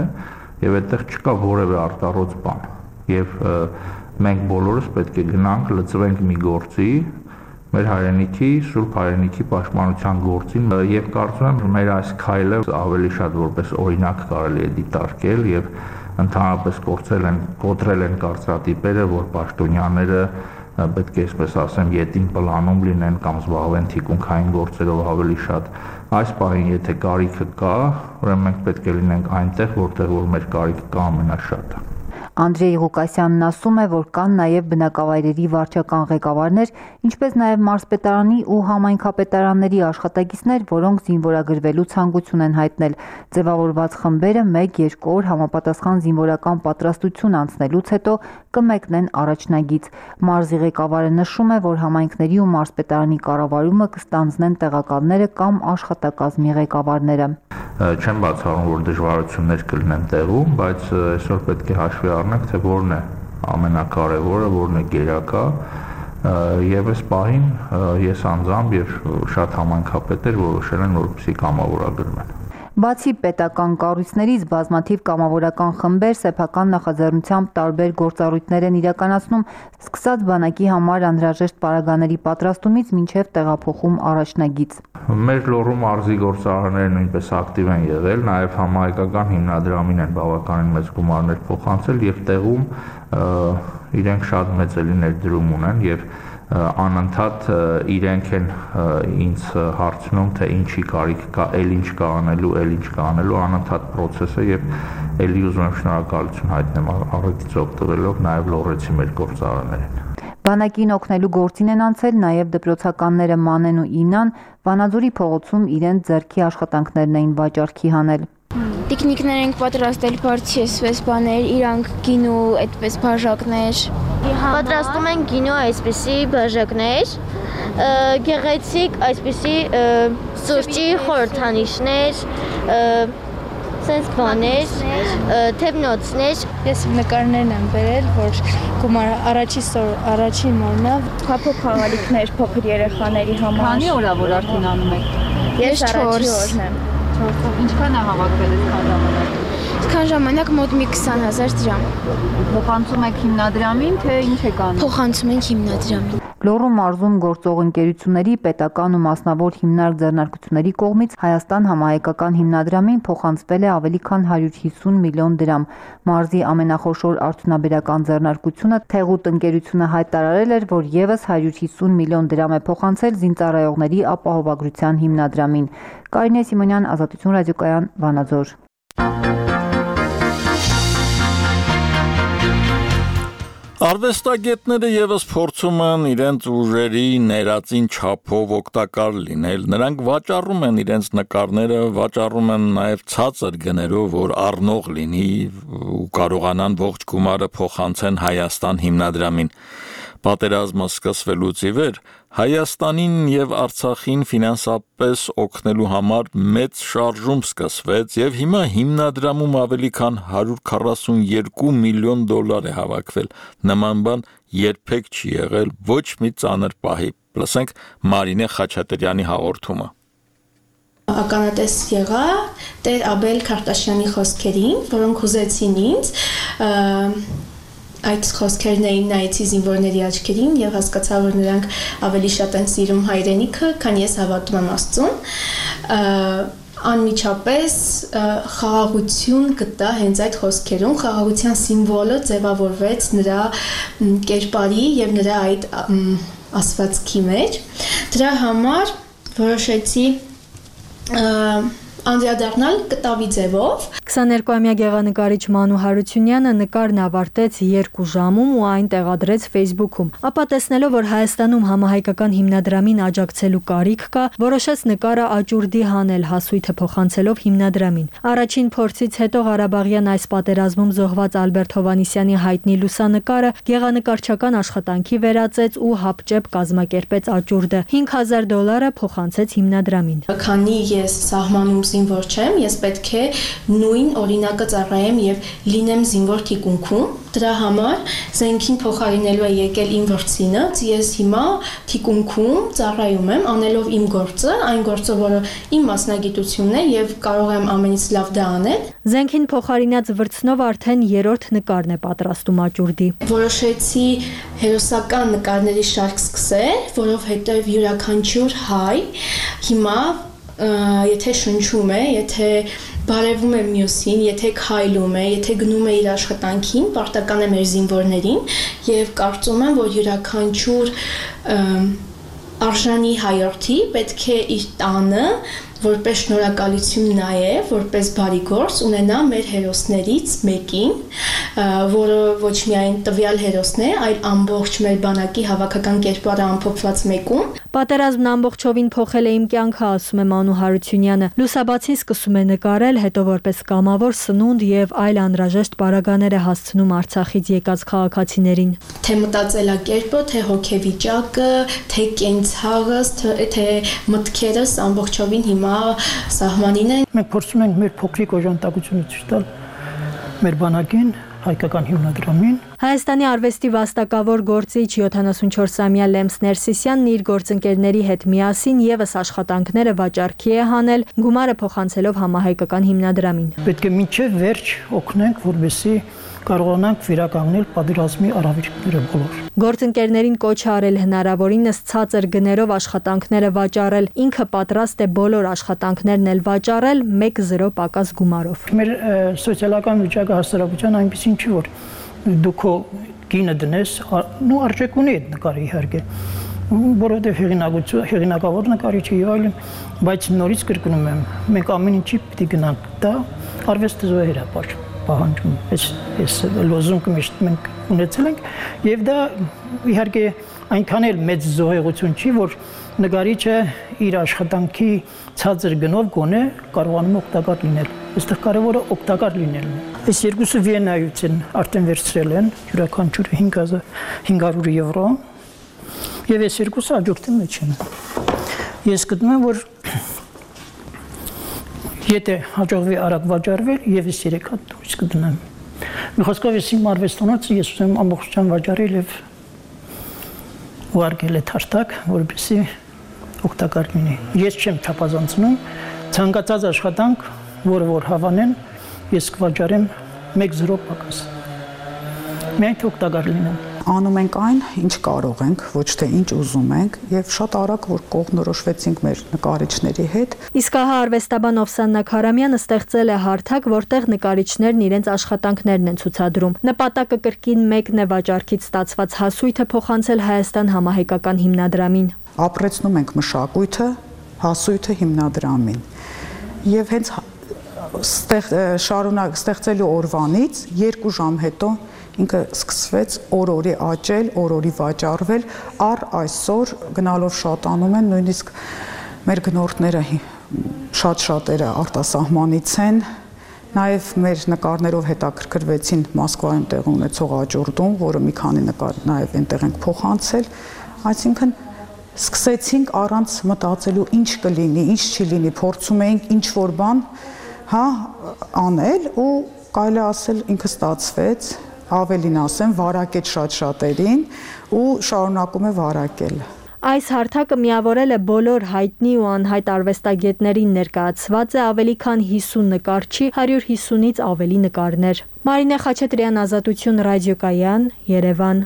եւ այդտեղ չկա որևէ արտառոց բան։ Եվ մենք բոլորս պետք է գնանք լծվենք մի գործի, մեր հայրենիքի, սուրբ հայրենիքի պաշտպանության գործին եւ կարծում եմ մեր այս քայլը ավելի շատ որպես օրինակ կարելի է դիտարկել եւ ընդհանրապես կոտրել են կարծրատիպերը, որ պաշտոնյաները պետք է այսպես ասեմ յետին պլանում լինեն կամ զբաղվեն թիկունքային գործերով ավելի շատ։ Այս պահին եթե կարիքը կա, ուրեմն մենք պետք է լինենք այնտեղ, որտեղ որ մեր կարիքը կա ամենաշատը։ Անդրեյ Ղուկասյանն ասում է, որ կան նաև բնակավայրերի վարչական ղեկավարներ, ինչպես նաև մարզպետարանի ու համայնքապետարանների աշխատակիցներ, որոնք զինվորագրվելու ցանկություն են հայտնել։ Ձևավորված խմբերը 1-2 օր համապատասխան զինվորական պատրաստություն անցնելուց հետո կմեկնեն առաջնագիծ։ Մարզի ղեկավարը նշում է, որ համայնքների ու մարզպետարանի կառավարումը կստանձնեն տեղակալները կամ աշխատակազմի ղեկավարները։ Չեմ բացառում, որ դժվարություններ կլինեն տեղում, բայց այսօր պետք է հաշվի առնենք, թե որն է ամենակարևորը, որն է գերակա, եւ այս պահին ես անձամբ եւ շատ համայնքապետեր որոշել են, որպեսզի կամավորագրվեն։ Բացի պետական կառույցներից բազմաթիվ կամավորական խմբեր սեփական նախաձեռնությամբ տարբեր գործառույթներ են իրականացնում, սկսած բանակի համար անհրաժեշտ պարագաների պատրաստումից մինչև տեղափոխում առաջնագիծ։ Մեր Լոռու մարզի գործարարները նույնպես ակտիվ են եղել, նաև համահայկական հիմնադրամին են բավականին մեծ գումարներ փոխանցել եւ տեղում իրենք շատ մեծ ներդրում ունեն եւ անընդհատ իրենք են ինձ հարցնում, թե ինչի կարիք կա, ինչ կա անելու, անընդհատ process է եւ ելի ուզում եմ շնորհակալություն հայտնեմ առիթից օգտվելով նաեւ լոռեցի մեր գործարարներին։ Բանակին օգնելու գործին են անցել նաև դպրոցականները Մանեն ու Ինան, Վանաձորի փողոցում իրենց ձեռքի աշխատանքներն էին վաճառքի հանել։ Տիկնիկներ ենք պատրաստել, բարձի այսպես բաներ, իրանք գինու այդպես բաժակներ։ Պատրաստում են գինու այսպիսի բաժակներ, գեղեցիկ այսպիսի սուրճի խորհրդանիշներ, սենց բաներ, թևնոցներ։ Ես նկարներն եմ բերել, որ գումար առաջին օրնա փոփոխ խաղալիքներ փոքր երեխաների համար։ Քանի օր է որ արդեն անում եք։ Ես 4 օրն եմ։ Ինչքան է հավաքվել այսքան ժամանակ։ Այսքան ժամանակ մոտ մի 20,000 դրամ։ Փոխանցում եք հիմնադրամին, թե ինչ եք անում։ Փոխանցում ենք հիմնադրամին։ Լոռու մարզում գործող ընկերությունների, պետական ու մասնավոր հիմնարկ ձեռնարկությունների կողմից Հայաստան համահայկական հիմնադրամին փոխանցվել է ավելի քան 150 միլիոն դրամ։ Մարզի ամենախոշոր արդյունաբերական ձեռնարկությունը Թեղուտ ընկերությունը հայտարարել էր, որ եւս 150 միլիոն դրամ է փոխանցել զինծառայողների ապահովագրության հիմնադրամին։ Կարինե Սիմոնյան, Ազատություն ռադիոկայան, Վանաձոր։ Արվեստագետները եւս փորձում են իրենց ուժերի ներածին չափով օգտակար լինել։ Նրանք վաճառում են իրենց նկարները, վաճառում են նաեւ ցածր գներով, որ առնող լինի ու կարողանան ողջ գումարը փոխանցեն Հայաստան հիմնադրամին։ Պատերազմը սկսվելուց ի վեր Հայաստանին եւ Արցախին ֆինանսապես օգնելու համար մեծ շարժում սկսվեց եւ հիմա հիմնադրամում ավելի քան 142 միլիոն դոլար է հավաքվել։ Նման բան երբեք չի եղել ոչ մի ծանր պահի։ Լսենք Մարինե Խաչատրյանի հաղորդումը։ Ականատես եղա Տեր Աբել Քարտաշյանի խոսքերին, որոնք հուզեցին ինձ։ Այդ խոսքերն էին նայեցի զինվորների աչքերին եւ հասկացա, որ նրանք ավելի շատ են սիրում հայրենիքը, քան ես հավատում եմ Աստծուն։ Անմիջապես խաղաղություն գտա հենց այդ խոսքերում, խաղաղության սիմվոլը ձևավորվեց նրա կերպարի եւ նրա այդ ասվածքի մեջ։ Դրա համար որոշեցի անդրադառնալ կտավի ձևով։ 22-ամյա գեղանկարիչ Մանու Հարությունյանը նկարն ավարտեց 2 ժամում ու այն տեղադրեց Facebook-ում։ Ապա տեսնելով, որ Հայաստանում համահայկական հիմնադրամին աջակցելու կարիք կա, որոշեց նկարը աճուրդի հանել հասույթը փոխանցելով հիմնադրամին։ Առաջին փորձից հետո Ղարաբաղյան այս պատերազմում զոհված Ալբերտ Հովանիսյանի հայտնի լուսանկարը գեղանկարչական աշխատանքի վերածեց ու հապճեպ կազմակերպեց աճուրդը։ $5,000 փոխանցեց հիմնադրամին։ Քանի ես սահմանում զինվոր չեմ, ես պետք է նույն օրինակը ծառայեմ եւ լինեմ զինվոր թիկունքում։ Դրա համար զենքին փոխարինելու է եկել իմ վրձինը, ես հիմա թիկունքում ծառայում եմ, անելով իմ գործը, այն գործը, որը իմ մասնագիտությունն է եւ կարող եմ ամենից լավ դա անել։ Զենքին փոխարինած վրձնով արդեն 3-րդ նկարն է պատրաստում աճուրդի։ Որոշեցի հերոսական նկարների շարք սկսել, որովհետեւ յուրաքանչյուր հայ հիմա եթե շնչում է, եթե բարևում է մյուսին, եթե քայլում է, եթե գնում է իր աշխատանքին, պարտական է մեր զինվորներին եւ կարծում եմ, որ յուրաքանչյուր արժանի հայրենի պետք է իր տանը որպես շնորհակալություն նաև, որպես բարի գործ ունենա մեր հերոսներից մեկին, որը ոչ միայն տվյալ հերոսն է, այլ ամբողջ մեր բանակի հավաքական կերպարը ամփոփված մեկում։ Պատերազմն ամբողջովին փոխել է իմ կյանքը, ասում է Մանու Հարությունյանը։ Լուսաբացին սկսում է նկարել, հետո որպես կամավոր սնունդ եւ այլ անհրաժեշտ պարագաներ է հասցնում Արցախից եկած քաղաքացիներին։ Թե մտածելակերպը, թե հոգեվիճակը, թե կենցաղս, թե մտքերս ամբողջովին հիմա սահմանին են։ Մենք փորձում ենք մեր փոքրիկ օժանդակությունը ցույց տալ մեր բանակին, հայկական հիմնադրամին։ Հայաստանի արվեստի վաստակավոր գործիչ 74-ամյա Լեմս Ներսիսյանն իր գործընկերների հետ միասին եւս աշխատանքները վաճառքի է հանել, գումարը փոխանցելով համահայկական հիմնադրամին։ Պետք է մինչև վերջ օգնենք, որպեսզի կարողանանք վերականգնել պատերազմի արավիճները բոլոր։ Գործընկերներին կոչ արել հնարավորինս ցածր գներով աշխատանքները վաճառել, ինքը պատրաստ է բոլոր աշխատանքներն էլ վաճառել 1-0 պակաս գումարով։ Մեր սոցիալական վիճակը հասարակության այնպեսին չի, որ դու քո գինը դնես, ու արժեք ունի այդ նկարը իհարկե, որովհետև հեղինակավոր նկարիչ է եւ այլն, բայց նորից կրկնում եմ, մենք ամեն ինչի պիտի գնանք, դա արվեստը զոհեր է պահանջում, այս լոզունգը միշտ մենք ունեցել ենք եւ դա իհարկե այնքան էլ մեծ զոհեղություն չի, որ նկարիչը իր աշխատանքի ցածր գնով գոնե կարողանում օգտակար լինել։ Այստեղ կարևորը օգտակար լինելն է։ Այս երկուսը Վիեննայից են արդեն վերցրել են յուրաքանչյուրը 500 եվրո եւ այս երկուսը աջորդի մեջ են։ Ես գտնում եմ, որ եթե հաջողվի արագ վաճառվել, եւս 3 հատ դուրս կդնեմ։ Մի խոսքով ես իմ արվեստանոցը ես ուզում եմ ամբողջությամբ վաճառել եւ ուղարկել այդ հաշտակ, որպեսզի օգտակար լինի։ Ես չեմ չափազանցնում, ցանկացած աշխատանք, որը որ հավանեն, ես կվաճառեմ 1-0 պակաս։ Մենք օգտակար լինենք։ Անում ենք այն, ինչ կարող ենք, ոչ թե ինչ ուզում ենք, եւ շատ արագ որ կողմնորոշվեցինք մեր նկարիչների հետ։ Իսկ ահա արվեստաբան Օվսաննա Քարամյանը ստեղծել է հարթակ, որտեղ նկարիչներն իրենց աշխատանքներն են ցուցադրում։ Նպատակը կրկին մեկն է վաճառքից ստացված հասույթը փոխանցել Հայաստան համահայկական հիմնադրամին։ Ապրեցնում ենք մշակույթը, հասույթը հիմնադրամին։ Եվ հենց շարունակ ստեղծելու օրվանից 2 ժամ հետո ինքը սկսվեց օր-օրի աճել, օր-օրի վաճառվել, առ այսօր գնալով շատանում են, նույնիսկ մեր գնորդները շատ-շատերը արտասահմանից են, նաև մեր նկարներով հետաքրքրվեցին Մոսկվայում տեղի ունեցող աճուրդում, որը մի քանի նկար նաև այնտեղ ենք փոխանցել, այսինքն սկսեցինք առանց մտածելու ինչ կլինի, ինչ չի լինի, փորձում էինք ինչ որ բան, անել ու կարելի ասել ինքը ստացվեց, ավելին ասեմ, վարակեց շատ-շատերին ու շարունակում է վարակել։ Այս հարթակը միավորել է բոլոր հայտնի ու անհայտ արվեստագետներին, ներկայացված է ավելի քան 50 նկարչի, 150-ից ավելի նկարներ։ Մարինե Խաչատրյան, Ազատություն ռադիոկայան, Երևան։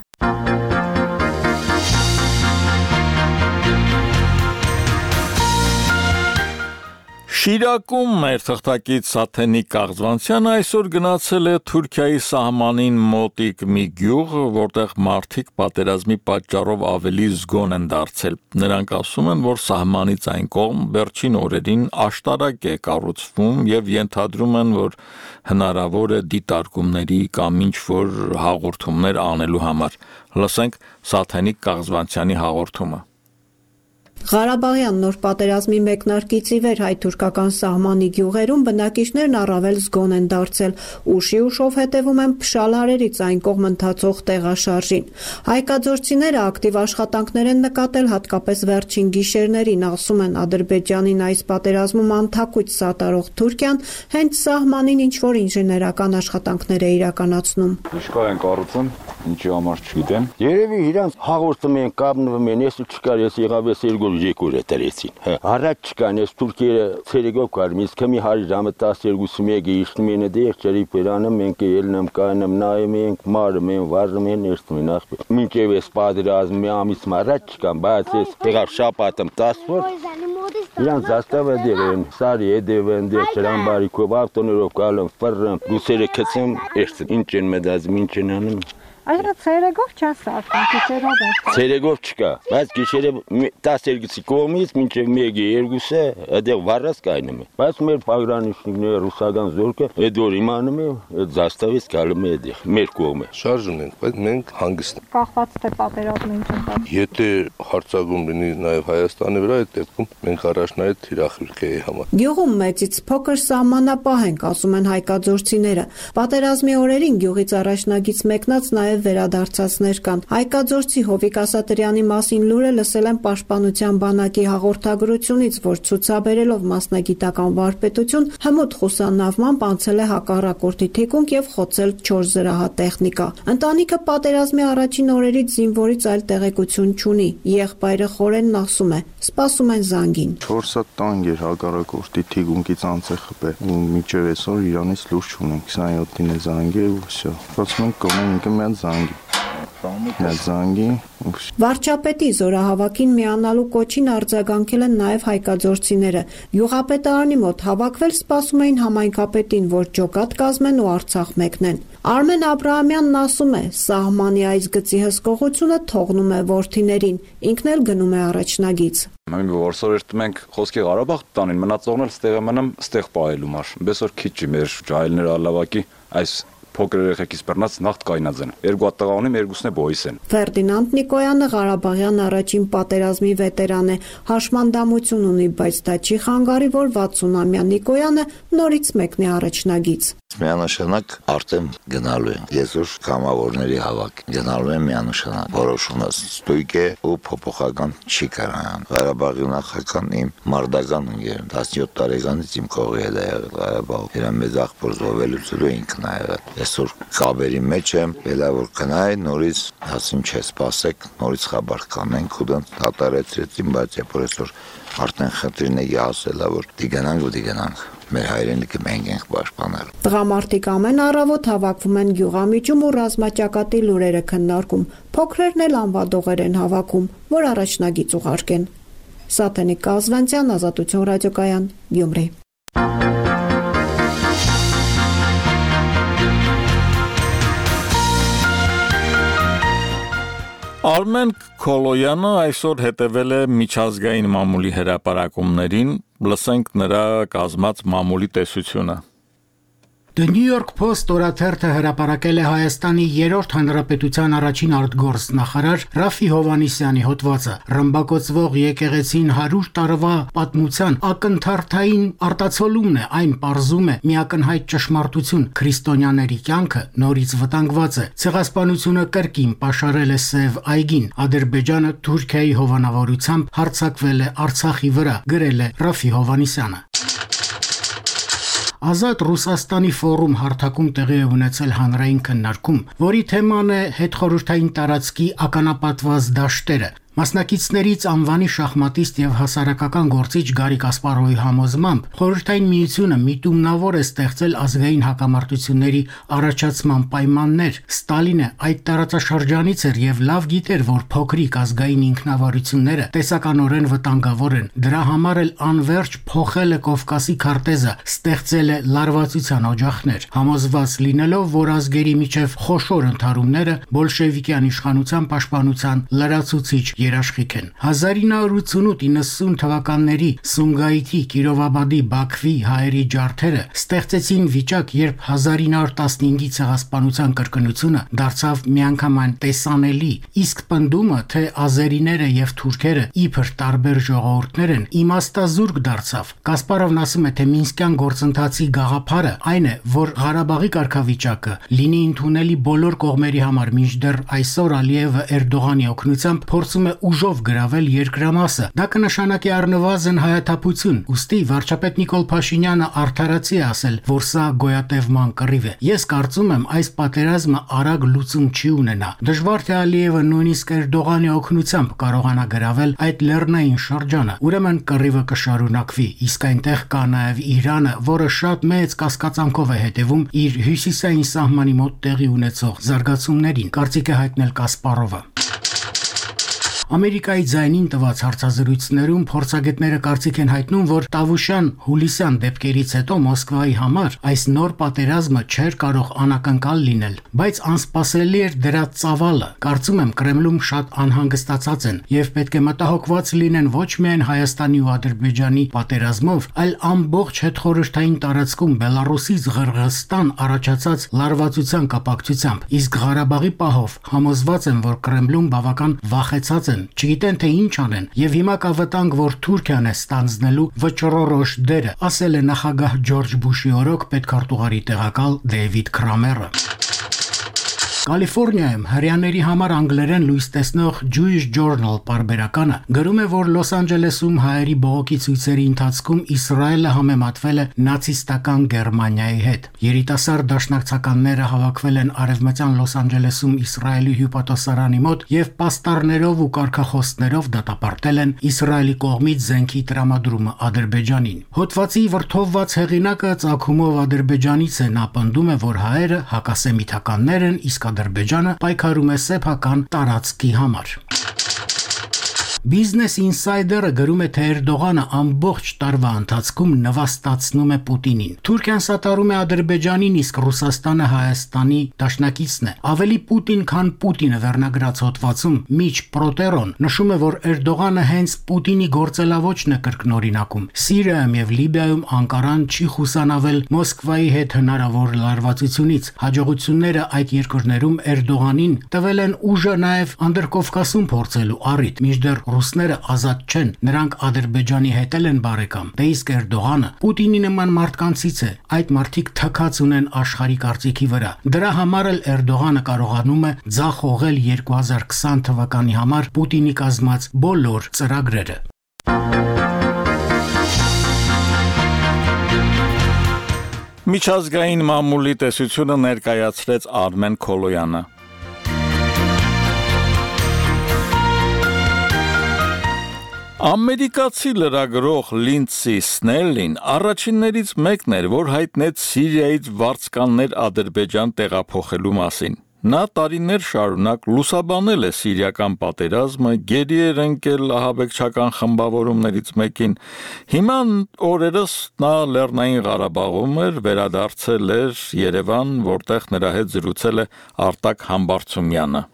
Շիրակում մեր թղթակից Սաթենիկ Կաղզվանցյանը այսօր գնացել է Թուրքիայի սահմանին մոտիկ մի գյուղ, որտեղ մարդիկ պատերազմի պատճառով ավելի զգոն են դարձել։ Նրանք ասում են, որ սահմանից այն կողմ վերջին օրերին աշտարակ է կառուցվում եւ ենթադրում են, որ հնարավոր է դիտարկումների կամ ինչ-որ հաղորդումներ անելու համար։ Լսենք Սաթենիկ Կաղզվանցյանի հաղորդումը։ Ղարաբաղյան նոր պատերազմի մեկնարկից ի վեր հայ-թուրքական սահմանի գյուղերում բնակիչներն առավել զգոն են դարձել, ուշի ուշով հետևում են փշալարերից այն կողմ ընթացող տեղաշարժին։ Հայկաձորցիները ակտիվ աշխատանքներ են նկատել հատկապես վերջին գիշերներին, ասում են Ադրբեջանին այս պատերազմում անթակույց սատարող Թուրքիան հենց սահմանին ինչ-որ ինժեներական աշխատանքներ է իրականացնում։ Ինչքան են կառուցում, ինչի համար չգիտեմ։ Երևի իրանց հաղորդում են, կապնվում են, ես չկար, ես եղավ ես երկու Եկուրը տրեցին։ Առաջ չկան, ես Թուրքիա ցերեգով կարմ, իսկ մի հարի ժամը 12-1-ը իշնում են դեր ջերի պերանը, մենք ելնեմ կանեմ, նայում ենք, մարում են, վարում են, երթում են ախ։ Մինչև այս պատերազմը մի ամիս առաջ չկան, բայց ես եղավ շաբաթում 10 օր։ Իրանց զաստավը դերեն, սարի էդևեն դեր ճրամբարիկով ավտոներով գալում, ֆռռում, ռուսերը քցում, ինչ են մտածում, ինչ են անում։ Այդա ցերեգով չես ասում, գիշերով է։ Ցերեգով չկա, բայց գիշերը 12-ի կողմից մինչև 1-ը 2-ը այդեղ վառած կայնում է։ Բայց մեր պագրանիշները ռուսական զորքը այդ որ իմանում է, այդ զաստավից գալում է այդեղ, մեր կողմը։ Շարժում ենք, բայց մենք հանգիստ։ Կախված թե պատերազմը ինչ է։ Եթե հարձակում լինի նաև Հայաստանի վրա, այդ դեպքում մենք առաջնային թիրախիրք էի համար։ Գյուղում մեծից փոքր սահմանապահ ենք, ասում են հայկաձորցիները։ Պատերազմի օրերին գյուղից առաջնագից մեկնած նաև վերադարձածներ կան։ Հայկաձորցի Հովիկ Ասատրյանի մասին լուրը լսել են Պաշտպանության բանակի հաղորդագրությունից, որ ցուցաբերելով մասնագիտական վարպետություն, հմուտ խուսանավմամբ անցել է հակառակորդի թիկունք եւ խոցել 4 զրահատեխնիկա։ Ընտանիքը պատերազմի առաջին օրերից զինվորից այլ տեղեկություն չունի։ Եղբայրը Խորենն ասում է, սպասում են զանգին։ 4 հատ տանգ էր հակառակորդի թիկունքից անցե խփել։ Ու միջև այսօր Իրանից լույս չունենք, 27-ին է զանգել ու վсё։ Խոսում ենք կողմը մի զանգի։ Վարչապետի զորահավաքին միանալու կոչին արձագանքել են նաև հայկաձորցիները։ Յուղապետարանի մոտ հավաքվել սպասում էին համայնքապետին, որ ջոկատ կազմեն ու Արցախ մեկնեն։ Արմեն Աբրահամյանն ասում է, սահմանի այս գծի հսկողությունը թողնում է որդիներին, ինքն էլ գնում է առաջնագից։ Մենք որսորերտ մենք խոսքի Ղարաբաղ տանին, մնացողն էլ ստեղ մնամ, ստեղ պահելու մար։ Բեսօր քիչ չի մեր ջահելները ալավակի այս փոքր երեխեքից բռնած նախտ կայնած են։ Երկու հատ տղա ունեմ, երկուսն է բոյս են։ Ֆերդինանդ Նիկոյանը Ղարաբաղյան առաջին պատերազմի վետերան է, հաշմանդամություն ունի, բայց դա չի խանգարի, որ 60-ամյա Նիկոյանը նորից մեկնի առաջնագից։ Միանշանակ արդեն գնալու են։ Այսօր կամավորների հավաք գնալու են միանշանակ։ Որոշումը ստույգ է ու փոփոխական չի կարան։ Ղարաբաղի նախական իմ մարդական ընկեր 17 տարեկանից իմ կողի հետ է եղել Ղարաբաղ։ Իրա մեծ աղբոր զոհվելուց ինքն է եղել։ Այսօր կաբերի մեջ եմ, ելա որ կնայ նորից ասում չէ, սպասեք, նորից խաբար կանենք ու դրանց դատարեցրեցին, բայց երբ որ այսօր արդեն խնդիրների ասելա որ դիգանանք մեր հայրենիքը մենք ենք պաշտպանել։ Տղամարդիկ ամեն առավոտ հավաքվում են գյուղամիջում ու ռազմաճակատի լուրերը քննարկում։ Փոքրերն էլ անվադողեր են հավաքում, որ առաջնագիծ ուղարկեն։ Սաթենիկ Կազվանցյան, Ազատություն ռադիոկայան, Գյումրի։ Արմեն Քոլոյանը այսօր հետևել է միջազգային մամուլի հրապարակումներին, լսենք նրա կազմած մամուլի տեսությունը։ The New York Post օրաթերթը հրապարակել է Հայաստանի 3-րդ հանրապետության առաջին արտգործնախարար Ռաֆի Հովհաննիսյանի հոդվածը։ Ռմբակոծվող եկեղեցին 100 տարվա պատմության ակնթարթային արտացոլումն է, այն պարզում է միակնհայտ ճշմարտություն, քրիստոնյաների կյանքը նորից վտանգված է։ Ցեղասպանությունը կրկին պաշարել է Սև այգին, Ադրբեջանը Թուրքիայի հովանավորությամբ հարձակվել է Արցախի վրա, գրել է Ռաֆի Հովհաննիսյանը։ Ազատ Ռուսաստանի ֆորում հարթակում տեղի է ունեցել հանրային քննարկում, որի թեման է հետխորհրդային տարածքի ականապատված դաշտերը։ Մասնակիցներից անվանի շախմատիստ եւ հասարակական գործիչ Գարի Կասպարովի համոզմամբ Խորհրդային Միությունը միտումնավոր է ստեղծել ազգային հակամարտությունների առաջացման պայմաններ։ Ստալինը այդ տարածաշրջանից էր եւ լավ գիտեր, որ փոքրիկ ազգային ինքնավարությունները տեսականորեն վտանգավոր են։ Դրա համար էլ անverջ փոխել է Կովկասի քարտեզը, ստեղծել է լարվածության օջախներ, համոզված լինելով, որ ազգերի միջև խոշոր ընդհարումները բոլշևիկյան իշխանության պաշտպանության լրացուցիչ երաշխիք են։ 1988-90 թվականների Սումգայիթի, Կիրովաբադի, Բաքվի հայերի ջարդերը ստեղծեցին վիճակ, երբ 1915-ի ցեղասպանության կրկնությունը դարձավ միանգամայն տեսանելի, իսկ պնդումը, թե ազերիները եւ թուրքերը իբր տարբեր ժողովուրդներ են, իմաստազուրկ դարձավ։ Կասպարովն ասում է, թե Մինսկյան գործընթացի գաղափարը այն է, որ Ղարաբաղի կարգավիճակը լինի ընդունելի բոլոր կողմերի համար, մինչդեռ այսօր Ալիևը Էրդողանի օգնությամբ փորձում է ուժով գրավել երկրամասը։ Դա կնշանակի առնվազն հայաթափություն։ Ուստի վարչապետ Նիկոլ Փաշինյանը արդարացի է ասել, որ սա գոյատևման կռիվ է։ Ես կարծում եմ, այս պատերազմը արագ լուծում չի ունենա։ Դժվար թե Ալիևը նույնիսկ Էրդողանի օգնությամբ կարողանա գրավել այդ լեռնային շրջանը։ Ուրեմն կռիվը կշարունակվի, իսկ այնտեղ կա նաև Իրանը, որը շատ մեծ կասկածանքով է հետևում իր հյուսիսային սահմանի մոտ տեղի ունեցող զարգացումներին, կարծիք է հայտնել Կասպարովը։ Ամերիկայի ձայնին տված հարցազրույցներում փորձագետները կարծիք են հայտնում, որ Տավուշյան-Հուլիսյան դեպքերից հետո Մոսկվայի համար այս նոր պատերազմը չէր կարող անակնկալ լինել, բայց անսպասելի էր դրա ծավալը։ Կարծում եմ Կրեմլում շատ անհանգստացած են եւ պետք է մտահոգված լինեն ոչ միայն Հայաստանի ու Ադրբեջանի պատերազմով, այլ ամբողջ հետխորհրդային տարածքում Բելարուսից Ղրղըզստան առաջացած լարվածության կապակցությամբ։ Իսկ Ղարաբաղի պահով համոզված եմ, որ Կրեմլում բավական վախեցած են, չգիտեն թե ինչ անեն, եւ հիմա կա վտանգ, որ Թուրքիան է ստանձնելու վճռորոշ դերը, ասել է նախագահ Ջորջ Բուշի օրոք պետքարտուղարի տեղակալ Դեյվիդ Քրամերը։ Կալիֆոռնիայում հրեաների համար անգլերեն լույս տեսնող Jewish Journal պարբերականը գրում է, որ Լոս Անջելեսում հայերի բողոքի ցույցերի ընթացքում Իսրայելը համեմատվել է նացիստական Գերմանիայի հետ։ Երիտասարդ դաշնակցականները հավաքվել են արևմտյան Լոս Անջելեսում Իսրայելի հյուպատոսարանի մոտ եւ պաստառներով ու կարգախոսներով դատապարտել են Իսրայելի կողմից զենքի տրամադրումը Ադրբեջանին։ Հոդվածի վրթովված հեղինակը ցակումով Ադրբեջանից է, նա պնդում է, որ հայերը հակասեմիթականներ են, իսկ Ադրբեջանը պայքարում է սեփական տարածքի համար։ Business Insider-ը գրում է, թե Էրդողանը ամբողջ տարվա ընթացքում նվաստացնում է Պուտինին։ Թուրքիան սատարում է Ադրբեջանին, իսկ Ռուսաստանը Հայաստանի դաշնակիցն է։ Ավելի Պուտին, քան Պուտինը վերնագրած հոդվածում Միչ Պրոտերոն նշում է, որ Էրդողանը հենց Պուտինի գործելավոճն է կրկնօրինակում։ Սիրիայում եւ Լիբիայում Անկարան չի խուսանավել Մոսկվայի հետ հնարավոր լարվածությունից։ Հաջողությունները այդ երկրներում Էրդողանին տվել են ուժը նաեւ Անդրկովկասում փորձելու առիթ, մինչդեռ ռուսները ազատ չեն, նրանք Ադրբեջանի հետ են բարեկամ։ Դե իսկ Էրդողանը Պուտինի նման մարդկանցից է, այդ մարդիկ թքած ունեն աշխարհի կարծիքի վրա։ Դրա համար էլ Էրդողանը կարողանում է ձախողել 2020 թվականի համար Պուտինի կազմած բոլոր ծրագրերը։ Միջազգային մամուլի տեսությունը ներկայացրեց Արմեն Քոլոյանը։ Ամերիկացի լրագրող Լինդսի Սնելլին առաջիններից մեկն էր, որ հայտնեց Սիրիայից վարձկաններ Ադրբեջան տեղափոխելու մասին։ Նա տարիներ շարունակ լուսաբանել է սիրիական պատերազմը, գերի էր ընկել ահաբեկչական խմբավորումներից մեկին։ Հիմա օրերս նա Լեռնային Ղարաբաղում էր, վերադարձել էր Երևան, որտեղ նրա հետ զրուցել է Արտակ Համբարձումյանը։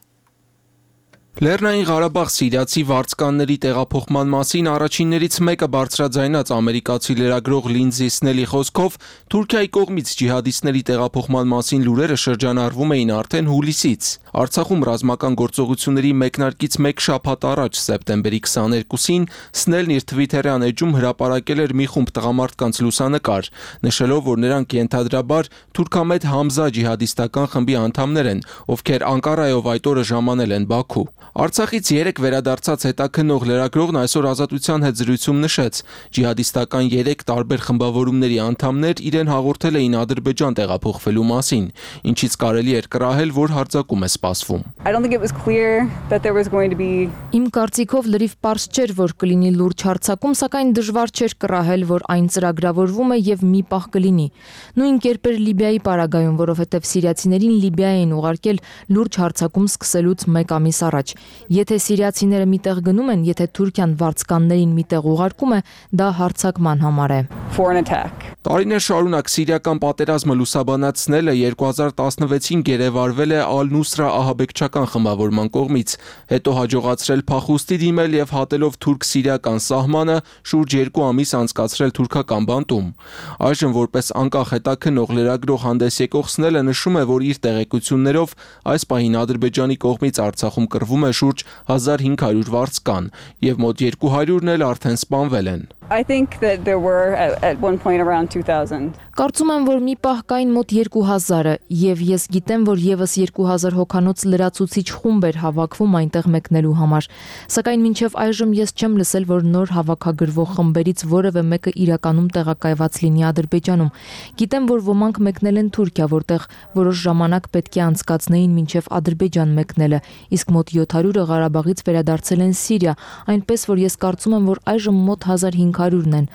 Լեռնային Ղարաբաղ սիրիացի վարձկանների տեղափոխման մասին առաջիններից մեկը բարձրաձայնած ամերիկացի լրագրող Լինձի Սնելի խոսքով Թուրքիայի կողմից ջիհադիստների տեղափոխման մասին լուրերը շրջանառվում էին արդեն հուլիսից։ Արցախում ռազմական գործողությունների մեկնարկից մեկ շաբաթ առաջ սեպտեմբերի 22-ին Սնելն իր Twitter-յան էջում հրապարակել էր մի խումբ տղամարդկանց լուսանկար, նշելով, որ նրանք ենթադրաբար թուրքամետ Համզա ջիհադիստական խմբի անդամներ են, ովքեր Անկարայով այդ օրը ժամանել են Բաքու։ Արցախից 3 վերադարձած հետաքննող լրագրողն այսօր Ազատության հետ զրույցում նշեց, ջիհադիստական 3 տարբեր խմբավորումների անդամներ իրեն հաղորդել էին Ադրբեջան տեղափոխվելու մասին, ինչից կարելի էր կռահել, որ հարձակում է սպասվում։ Իմ կարծիքով լրիվ պարզ չէր, որ կլինի լուրջ հարձակում, սակայն դժվար չէր կռահել, որ այն ծրագրավորվում է եւ մի պահ կլինի։ Նույն կերպ էր Լիբիայի պարագայում, որովհետեւ սիրիացիներին Լիբիա էին ուղարկել լուրջ հարձակում սկսելուց 1 ամիս առաջ։ Եթե սիրիացիները միտեղ գնում են, եթե Թուրքիան վարձկաններին միտեղ ուղարկում է, դա հարձակման համար է։ Տարիներ շարունակ սիրիական պատերազմը լուսաբանացնելը 2016-ին գերեվարվել է Ալ-Նուսրա ահաբեկչական խմբավորման կողմից, հետո հաջողացրել փախուստի դիմել եւ հատելով թուրք-սիրիական սահմանը շուրջ 2 ամիս անցկացրել թուրքական բանտում։ Այժմ որպես անկախ հետաքննող լրագրող հանդես եկող Սնելը նշում է, որ իր տեղեկություններով այս պահին Ադրբեջանի կողմից Արցախում կռվում է շուրջ 1500 վարձկան եւ մոտ 200-ն էլ արդեն սպանվել են։ I think that there were at one point around 2000. Կարծում եմ, որ մի պահ կային մոտ 2000-ը եւ ես գիտեմ, որ եւս 2000 հոգանոց լրացուցիչ խումբ էր հավաքվում այնտեղ մեկնելու համար։ Սակայն մինչեւ այժմ ես չեմ լսել, որ նոր հավաքագրվող խմբերից որևէ մեկը իրականում տեղակայված լինի Ադրբեջանում։ Գիտեմ, որ ոմանք մեկնել են Թուրքիա, որտեղ որոշ ժամանակ պետք է անցկացնեին մինչեւ Ադրբեջան մեկնելը, իսկ մոտ 700-ը Ղարաբաղից վերադարձել են Սիրիա, այնպես որ ես կարծում եմ, որ այժմ մոտ 1500-ն են։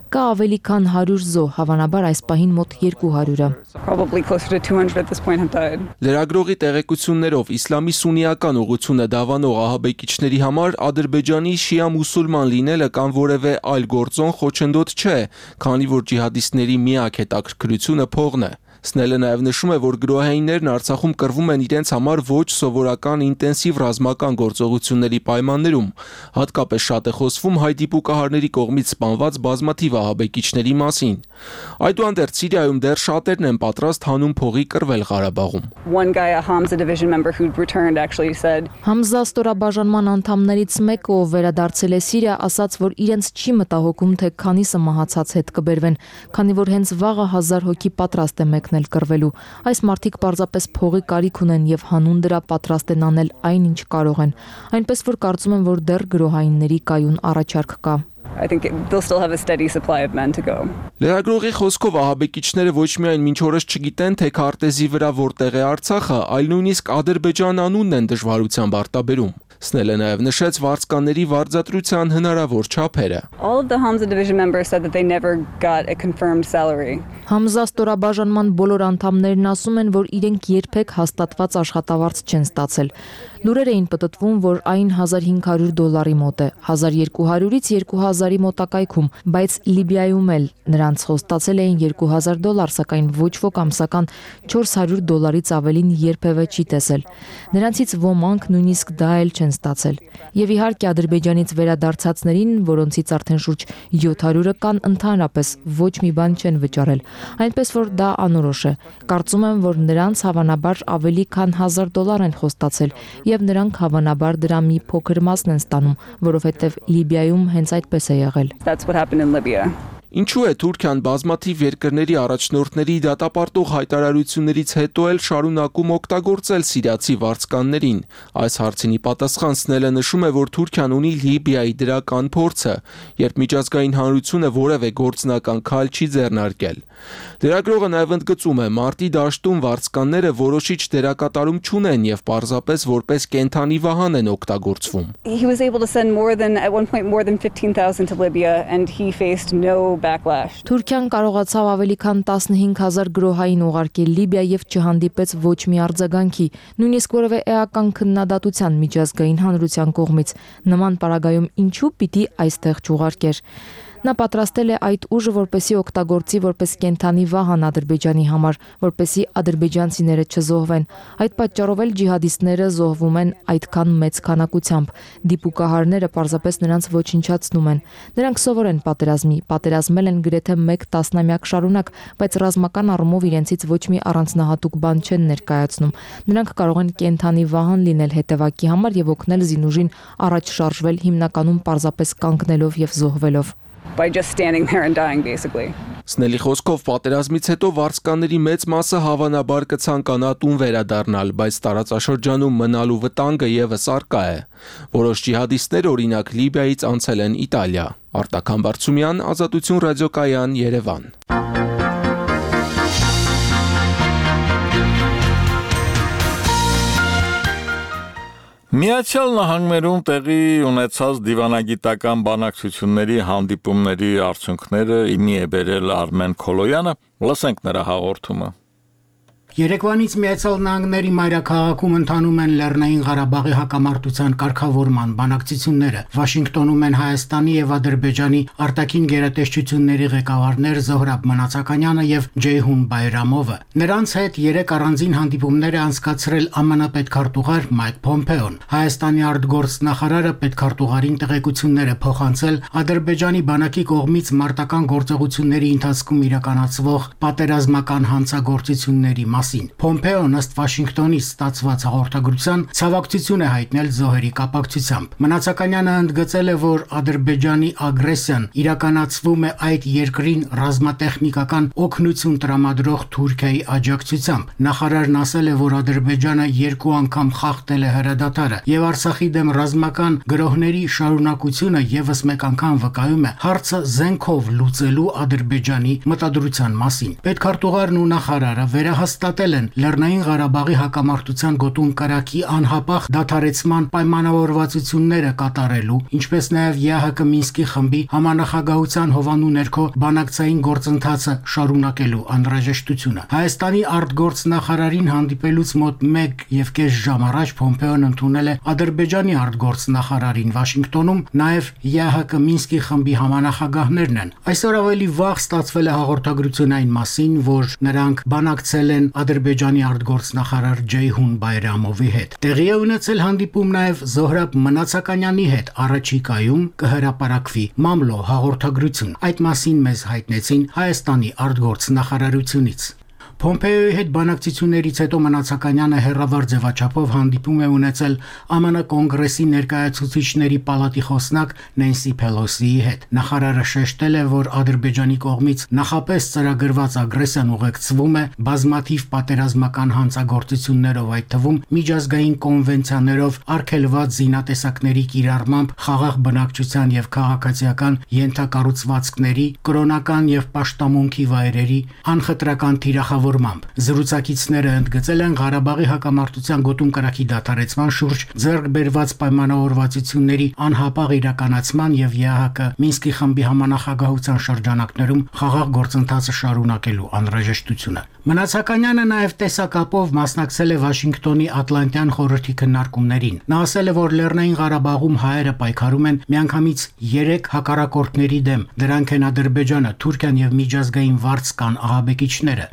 Կա ավելի քան 100 զոհ, հավանաբար այս պահին մոտ 200-ը։ Probably closer to 200 at this point have died. Լրագրողի տեղեկություններով իսլամի սուննիական ուղղությունը դավանող ահաբեկիչների համար Ադրբեջանի շիա մուսուլման լինելը կամ որևէ այլ գործոն խոչընդոտ չէ, քանի որ ջիհադիստների միակ հետաքրքրությունը փողն է։ Սնելը նաև նշում է, որ գրոհայիններն Արցախում կռվում են իրենց համար ոչ սովորական ինտենսիվ ռազմական գործողությունների պայմաններում, հատկապես շատ է խոսվում հայ դիպուկահարների կողմից սպանված բազմաթիվ ահաբեկիչների մասին։ Այդուհանդերձ Սիրիայում դեռ շատերն են պատրաստ հանուն փողի կռվել Ղարաբաղում։ One guy, a Hamza division member who returned actually said Համզա ստորաբաժանման անդամներից մեկը, ով վերադարձել է Սիրիա, ասաց, որ իրենց չի մտահոգում, թե քանիսը մահացած հետ կբերվեն, քանի որ հենց վաղը 1000 հոգի պատրաստ է մեկնել կռվելու։ Այս մարդիկ պարզապես փողի կարիք ունեն եւ հանուն դրա պատրաստ են անել այն, ինչ կարող են։ Այնպես որ կարծում եմ, որ դեռ գրոհայինների կայուն առաջարկ կա։ I think they'll still have a steady supply of men to go. Լրագրողի խոսքով ահաբեկիչները ոչ միայն մինչ օրս չգիտեն, թե քարտեզի վրա որտեղ է Արցախը, այլ նույնիսկ Ադրբեջան անունն են դժվարությամբ արտաբերում։ Սնելը նաև նշեց վարձկանների վարձատրության հնարավոր չափերը։ All of the Hamza division members said that they never got a confirmed salary. Համզա ստորաբաժանման բոլոր անդամներն ասում են, որ իրենք երբեք հաստատված աշխատավարձ չեն ստացել։ Լուրեր էին պտտվում, որ այն $1500 մոտ է, 1200-ից 2000-ի մոտակայքում, բայց Լիբիայում էլ նրանց խոստացել էին $2000, սակայն ոչ ոք ամսական $400-ից ավելին երբևէ չի տեսել։ Նրանցից ոմանք նույնիսկ դա էլ չեն ստացել։ Եվ իհարկե Ադրբեջանից վերադարձածներին, որոնցից արդեն շուրջ 700-ը կան, ընդհանրապես ոչ մի բան չեն վճարել։ Այնպես որ դա անորոշ է։ Կարծում եմ, որ նրանց հավանաբար ավելի քան $1000 են խոստացել, եւ նրանք հավանաբար դրա մի փոքր մասն են ստանում, որովհետեւ Լիբիայում հենց այդպես է եղել։ That's what happened in Libya. Ինչու է Թուրքիան բազմաթիվ երկրների առաջնորդների դատապարտող հայտարարություններից հետո էլ շարունակում օգտագործել սիրիացի վարձկաններին։ Այս հարցին պատասխան Սնելը նշում է, որ Թուրքիան ունի Լիբիայի դրական փորձը, երբ միջազգային հանրությունը որևէ գործնական քայլ չի ձեռնարկել։ Լրագրողը նաև ընդգծում է, մարտի դաշտում վարձկանները որոշիչ դերակատարում չունեն եւ պարզապես որպես կենթանի վահան են օգտագործվում։ He was able to send at one point more than 15,000 to Libya and he faced no backlash. Թուրքիան կարողացավ ավելի քան 15000 գրոհային ուղարկել Լիբիա եւ չհանդիպեց ոչ մի արձագանքի, նույնիսկ որևէ էական քննադատության միջազգային հանրության կողմից։ Նման պարագայում ինչու պիտի այստեղ չուղարկեր։ Նա պատրաստել է այդ ուժը, որպեսզի օգտագործի որպես կենդանի վահան Ադրբեջանի համար, որպեսզի ադրբեջանցիները չզոհվեն։ Այդ պատճառով էլ ջիհադիստները զոհվում են այդքան մեծ քանակությամբ։ Դիպուկահարները պարզապես նրանց ոչնչացնում են։ Նրանք սովոր են պատերազմել են գրեթե 1 տասնամյակ շարունակ, բայց ռազմական առումով իրենցից ոչ մի առանձնահատուկ բան չեն ներկայացնում։ Նրանք կարող են կենդանի վահան լինել հետևակի համար եւ օգնել զինուժին առաջ շարժվել հիմնականում պարզապես կանգնելով եւ զոհվելով։ By just standing there and dying basically. Սնելի խոսքով պատերազմից հետո վարձկանների մեծ մասը հավանաբար կցանկանա տուն վերադառնալ, բայց տարածաշրջանում մնալու վտանգը եւս առկա է։ Որոշ ջիհադիստներ օրինակ Լիբիայից անցել են Իտալիա։ Արտակ Համբարձումյան, Ազատություն ռադիոկայան, Երևան։ Միացյալ Նահանգներում տեղի ունեցած դիվանագիտական բանակցությունների հանդիպումների արդյունքները իմի է բերել Արմեն Քոլոյանը, լսենք նրա հաղորդումը։ Երեկվանից Միացյալ Նահանգների մայրաքաղաքում ընթանում են Լեռնային Ղարաբաղի հակամարտության կարգավորման բանակցությունները։ Վաշինգտոնում են Հայաստանի եւ Ադրբեջանի արտաքին գերատեսչությունների ղեկավարներ Զոհրաբ Մնացականյանը եւ Ջեյհուն Բայրամովը։ Նրանց հետ 3 առանձին հանդիպումներ է անցկացրել ԱՄՆ պետքարտուղար Մայք Փոմպեոն։ Հայաստանի արտգործնախարարը պետքարտուղարին տեղեկություններ է փոխանցել Ադրբեջանի բանակի կողմից մարտական գործողությունների ընթացքում իրականացվող պատերազմական հանցագործությունների Փոմպեոն ըստ Վաշինգտոնից ստացված հաղորդագրության ցավակցություն է հայտնել զոհերի կապակցությամբ։ Մնացականյանը ընդգծել է, որ Ադրբեջանի ագրեսիան իրականացվում է այդ երկրին ռազմատեխնիկական օգնություն տրամադրող Թուրքիայի աջակցությամբ։ Նախարարն ասել է, որ Ադրբեջանը 2 անգամ խախտել է հրադադարը եւ Արցախի դեմ ռազմական գրոհների շարունակությունը եւս մեկ անգամ վկայում է հարցը զենքով լուծելու Ադրբեջանի մտադրության մասին։ Պետքարտուղարն ու նախարարը վերահաստատել են Լեռնային Ղարաբաղի հակամարտության գոտուն կրակի անհապաղ դադարեցման պայմանավորվածությունները կատարելու, ինչպես նաև ԵԱՀԿ Մինսկի խմբի համանախագահության հովանու ներքո բանակցային գործընթացը շարունակելու անհրաժեշտությունը։ Հայաստանի արտգործնախարարին հանդիպելուց մոտ 1.5 ժամ առաջ Փոմպեոն ընդունել է Ադրբեջանի արտգործնախարարին Վաշինգտոնում, նաև ԵԱՀԿ Մինսկի խմբի համանախագահներն են։ Այսօր ավելի վաղ ստացվել է հաղորդագրություն այն մասին, որ նրանք բանակցել են Ադրբեջանի արտգործնախարար Ջեյհուն Բայրամովի հետ։ Տեղի է ունեցել հանդիպում նաև Զոհրաբ Մնացականյանի հետ, առաջիկայում կհրապարակվի մամլո հաղորդագրություն։ Այդ մասին մեզ հայտնեցին Հայաստանի արտգործնախարարությունից։ Փոմպեոյի հետ բանակցություններից հետո Մնացականյանը հերավար ձևաչափով հանդիպում է ունեցել ԱՄՆ կոնգրեսի ներկայացուցիչների պալատի խոսնակ Նենսի Փելոսիի հետ։ Նախարարը շեշտել է, որ Ադրբեջանի կողմից նախապես ծրագրված ագրեսիան ուղեկցվում է բազմաթիվ պատերազմական հանցագործություններով, այդ թվում միջազգային կոնվենցիաներով արգելված զինատեսակների կիրառմամբ խաղաղ բնակչության եւ քաղաքացիական ենթակառուցվածքների, կրոնական եւ պաշտամունքի վայրերի անխտրական թիրախավոր Զրուցակիցները ընդգծել են Ղարաբաղի հակամարտության գոտուն կրակի դադարեցման շուրջ ձեռք բերված պայմանավորվածությունների անհապաղ իրականացման եւ ԵԱՀԿ Մինսկի խմբի համանախագահության շրջանակներում խաղաղ գործընթացը շարունակելու անհրաժեշտությունը։ Մնացականյանը նաև տեսակապով մասնակցել է Վաշինգտոնի Ատլանտյան խորհրդի քննարկումներին։ Նա ասել է, որ Լեռնային Ղարաբաղում հայերը պայքարում են միանգամից 3 հակառակորդների դեմ։ Դրանք են Ադրբեջանը, Թուրքիան եւ միջազգային վարձ կան ահաբեկիչները։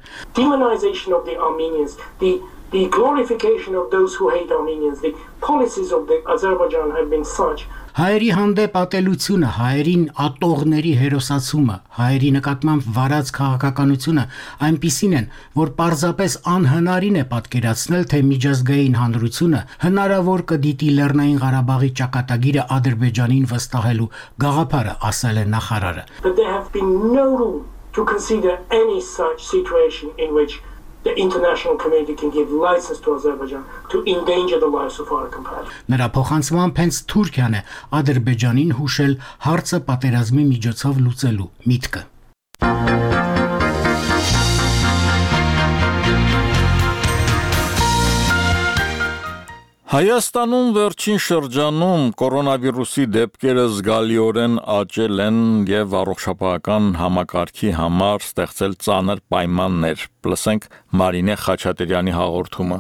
Demonization of the Armenians, the glorification of those who hate Armenians, the policies of the Azerbaijan have been such. Հայերի հանդեպ ատելությունը, հայերին ատողների հերոսացումը, հայերի նկատմամբ վարած քաղաքականությունը այնպիսին են, որ պարզապես անհնարին է պատկերացնել, թե միջազգային հանրությունը հնարավոր կդիտի Լեռնային Ղարաբաղի ճակատագիրը Ադրբեջանին վստահելու գաղափարը, ասել է նախարարը։ But there have been no room to consider any such situation in which the international community can give license to Azerbaijan to endanger the lives of our compatriots. Նրա փոխանցմամբ հենց Թուրքիան է Ադրբեջանին հուշել հարցը պատերազմի միջոցով լուծելու միտքը։ Հայաստանում վերջին շրջանում կորոնավիրուսի դեպքերը զգալիորեն աճել են եւ առողջապահական համակարգի համար ստեղծել ծանր պայմաններ։ Լսենք Մարինե Խաչատրյանի հաղորդումը։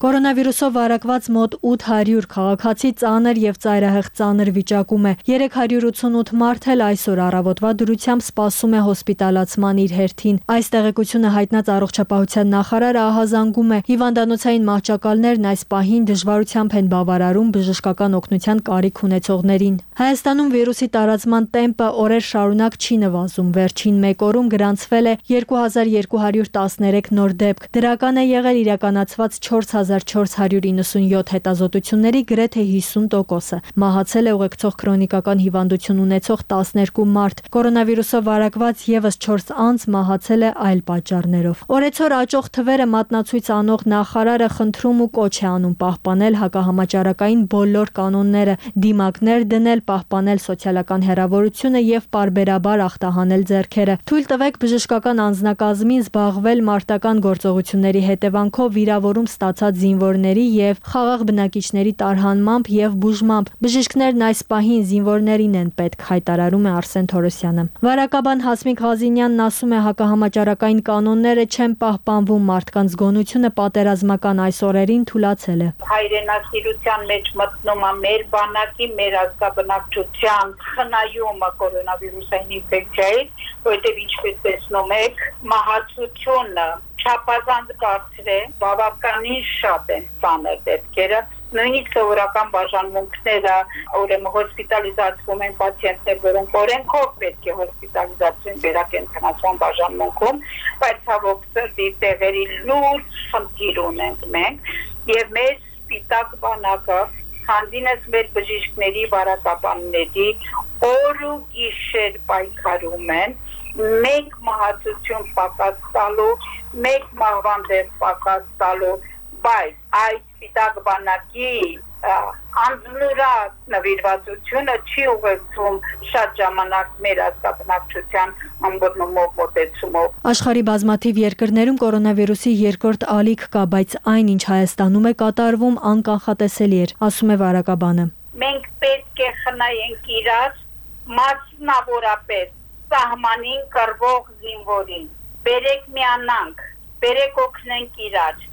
Կորոնավիրուսով վարակված մոտ 800 քաղաքացի ծանր եւ ծայրահեղ ծանր վիճակում է։ 388 մարդ էլ այսօր առավոտվա դրությամբ սպասում է հոսպիտալացման իր հերթին։ Այս տեղեկությունը հայտնած առողջապահության նախարարը ահազանգում է, հիվանդանոցային մահճակալներն այս պահին դժվարությամբ են բավարարում բժշկական օգնության կարիք ունեցողներին։ Հայաստանում վիրուսի տարածման տեմպը օրեր շարունակ չի նվազում։ Վերջին 1 օրում գրանցվել է 2213 նոր դեպք։ Դրական է եղել իրականացված 4497 հետազոտությունների գրեթե 50%-ը։ Մահացել է ուղեկցող քրոնիկական հիվանդություն ունեցող 12 մարդ։ Կորոնավիրուսով վարակված եւս 4 անձ մահացել է այլ պատճառներով։ Օրեցօր աճող թվերը մատնացույց անող նախարարը խնդրում ու կոչ է անում պահպանել հակահամաճարակային բոլոր կանոնները, դիմակներ դնել, պահպանել սոցիալական հեռավորությունը եւ պարբերաբար ախտահանել ձեռքերը։ Թույլ տվեք բժշկական անձնակազմին զբաղվել մարտական գործողությունների հետևանքով վիրավորում ստացած զինվորների եւ խաղաղ բնակիչների տարհանմամբ եւ բուժմամբ։ Բժիշկներն այս պահին զինվորներին են պետք, հայտարարում է Արսեն Թորոսյանը։ Վարակաբան Հասմիկ Ղազինյանն ասում է, հակահամաճարակային կանոնները չեն պահպանվում, մարդկանց գոնությունը պատերազմական այս օրերին թուլացել է։ Հայրենասիրության մեջ մտնում է մեր բանակի, մեր ազգաբնակչության խնայումը կորոնավիրուսային ինֆեկցիայից, որտեղ ինչպես տեսնում եք, մահացությունը չափազանց բարձր է, բավականին շատ են ծանր դեպքերը, նույնիսկ սովորական բաժանմունքները, ուրեմն հոսպիտալիզացվում են պացիենտներ, որոնք օրենքով պետք է հոսպիտալիզացվեն վերակենդանացման բաժանմունքում, բայց ցավոք սրտի տեղերի լուրջ խնդիր ունենք մենք, եւ մեր սպիտակ բանակը հանդինս մեր բժիշկների վարակաբանների օր ու գիշեր պայքարում են, մեկ մահացություն պակաս տալու, մեկ մահվան դեպք պակաս տալու, բայց այս սպիտակ բանակի անձնուրակ նվիրվածությունը չի ուղեկցում շատ ժամանակ մեր ազգաբնակչության ըմբռնումով մոտեցումով։ Աշխարհի բազմաթիվ երկրներում կորոնավիրուսի երկրորդ ալիք կա, բայց այն, ինչ Հայաստանում է կատարվում, անկանխատեսելի էր, ասում է վարակաբանը։ Մենք պետք է խնայենք իրար, մասնավորապես սահմանին կռվող զինվորին։ Բերեք միանանք, բերեք օգնենք իրար,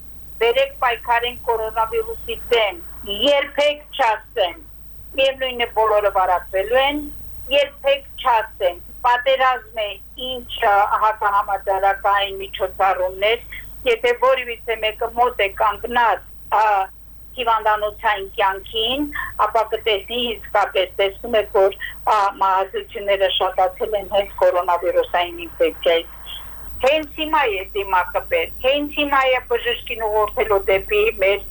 բերեք պայքարենք կորոնավիրուսի դեմ, երբեք չասեն, միևնույն է բոլորը վարակվելու են, երբեք չասեն, պատերազմ է ինչ հակահամաճարակային միջոցառումներ, եթե որևիցե մեկը մոտ է կանգնած հիվանդանոցային կյանքին, ապա կտեսնի իսկապես տեսնում եք, որ մահացությունները շատացել են հենց կորոնավիրուսային ինֆեկցիայից։ Հենց հիմա է դիմակը պետք, հենց հիմա է բժշկին ուղղորդելու դեպի մեր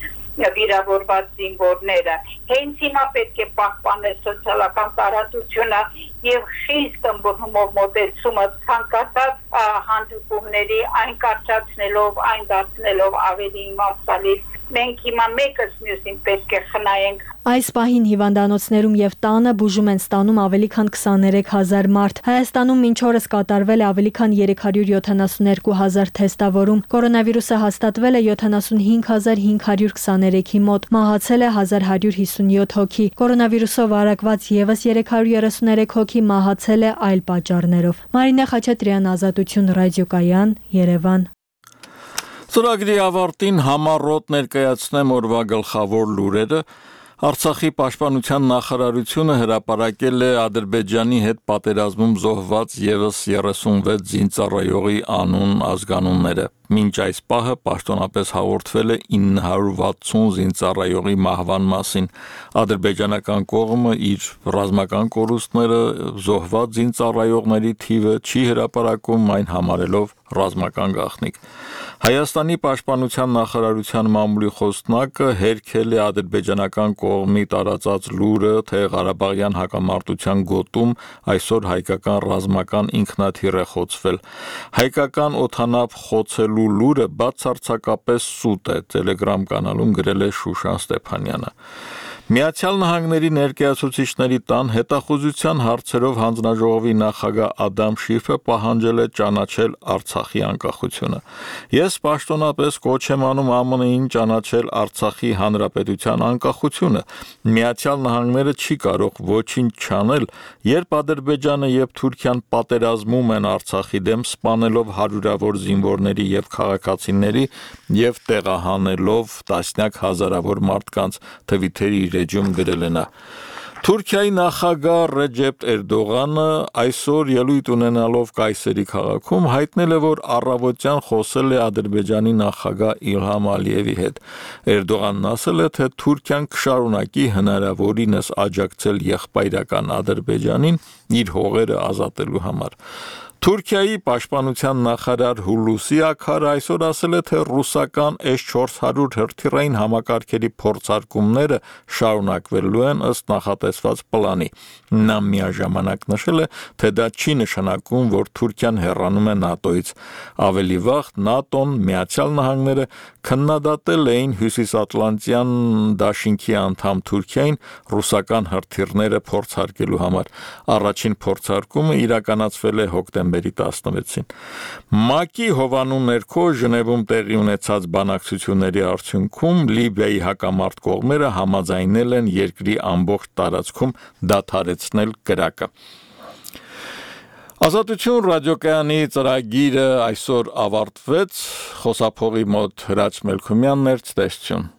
վիրավորված զինվորները, հենց հիմա պետք է պահպանել սոցիալական տարածությունը եւ խիստ ըմբռնումով մոտեցումը ցանկացած հանդիպումների այն կարճացնելով, այն դարձնելով ավելի իմաստալի։ Մենք հիմա մեկս մյուսին պետք է խնայենք։ Այս պահին հիվանդանոցներում եւ տանը բուժում են ստանում ավելի քան 23000 մարդ։ Հայաստանում մինչ օրս կատարվել է ավելի քան 372000 թեստավորում։ Կորոնավիրուսը հաստատվել է 75523-ի մոտ, մահացել է 1157 հոգի։ Կորոնավիրուսով վարակված եւս 333 հոգի մահացել է այլ պատճառներով։ Մարինե Խաչատրյան, Ազատություն ռադիոկայան, Երևան։ Ծրագրի ավարտին համառոտ ներկայացնեմ օրվա գլխավոր լուրերը։ Արցախի պաշտպանության նախարարությունը հրապարակել է Ադրբեջանի հետ պատերազմում զոհված եւս 36 զինծառայողի անուն ազգանունները։ Մինչ այս պահը պաշտոնապես հաղորդվել է 960 զինծառայողի մահվան մասին։ Ադրբեջանական կողմը իր ռազմական կորուստները զոհված զինծառայողների թիվը չի հրապարակում, այն համարելով ռազմական գաղտնիք։ Հայաստանի պաշտպանության նախարարության մամուլի խոսնակը հերքել է ադրբեջանական կողմի տարածած լուրը, թե Ղարաբաղյան հակամարտության գոտում այսօր հայկական ռազմական ինքնաթիռ է խոցվել։ Հայկական օդանավ խոցելու լուրը բացարձակապես սուտ է, Telegram կանալում գրել է Շուշան Ստեփանյանը։ Միացյալ Նահանգների ներկայացուցիչների տան հետախուզության հարցերով հանձնաժողովի նախագահ Ադամ Շիֆը պահանջել է ճանաչել Արցախի անկախությունը։ Ես պաշտոնապես կոչ եմ անում ԱՄՆ-ին ճանաչել Արցախի հանրապետության անկախությունը։ Միացյալ Նահանգները չի կարող ոչինչ չանել, երբ Ադրբեջանը եւ Թուրքիան պատերազմում են Արցախի դեմ, սպանելով հարյուրավոր զինվորների եւ քաղաքացիների եւ տեղահանելով տասնյակ հազարավոր մարդկանց, Թվիթերի իր էջում գրել է նա։ Թուրքիայի նախագահ Ռեջեփ Էրդողանը այսօր ելույթ ունենալով Կայսերի քաղաքում հայտնել է, որ առավոտյան խոսել է Ադրբեջանի նախագահ Իլհամ Ալիևի հետ։ Էրդողանն ասել է, թե Թուրքիան կշարունակի հնարավորինս աջակցել եղբայրական Ադրբեջանին իր հողերը ազատելու համար։ Թուրքիայի պաշտպանության նախարար Հուլուսի Աքարը այսօր ասել է, թե ռուսական S-400 հրթիռային համակարգերի փորձարկումները շարունակվելու են ըստ նախատեսված պլանի։ Նա միաժամանակ նշել է, թե դա չի նշանակում, որ Թուրքիան հեռանում է ՆԱՏՕ-ից։ Ավելի վաղ ՆԱՏՕ-ն, Միացյալ Նահանգները քննադատել էին Հյուսիսատլանտյան դաշինքի անդամ Թուրքիային ռուսական հրթիռները փորձարկելու համար։ Առաջին փորձարկումը իրականացվել է հոկտեմբերի 16-ին։ ՄԱԿ-ի հովանու ներքո Ժնևում տեղի ունեցած բանակցությունների արդյունքում Լիբիայի հակամարտ կողմերը համաձայնել են երկրի ամբողջ տարածքում դադարեցնել կրակը։ Ազատություն ռադիոկայանի ծրագիրը այսօր ավարտվեց։ Խոսափողի մոտ Հրաչ Մելքումյանն էր, ցտեսություն։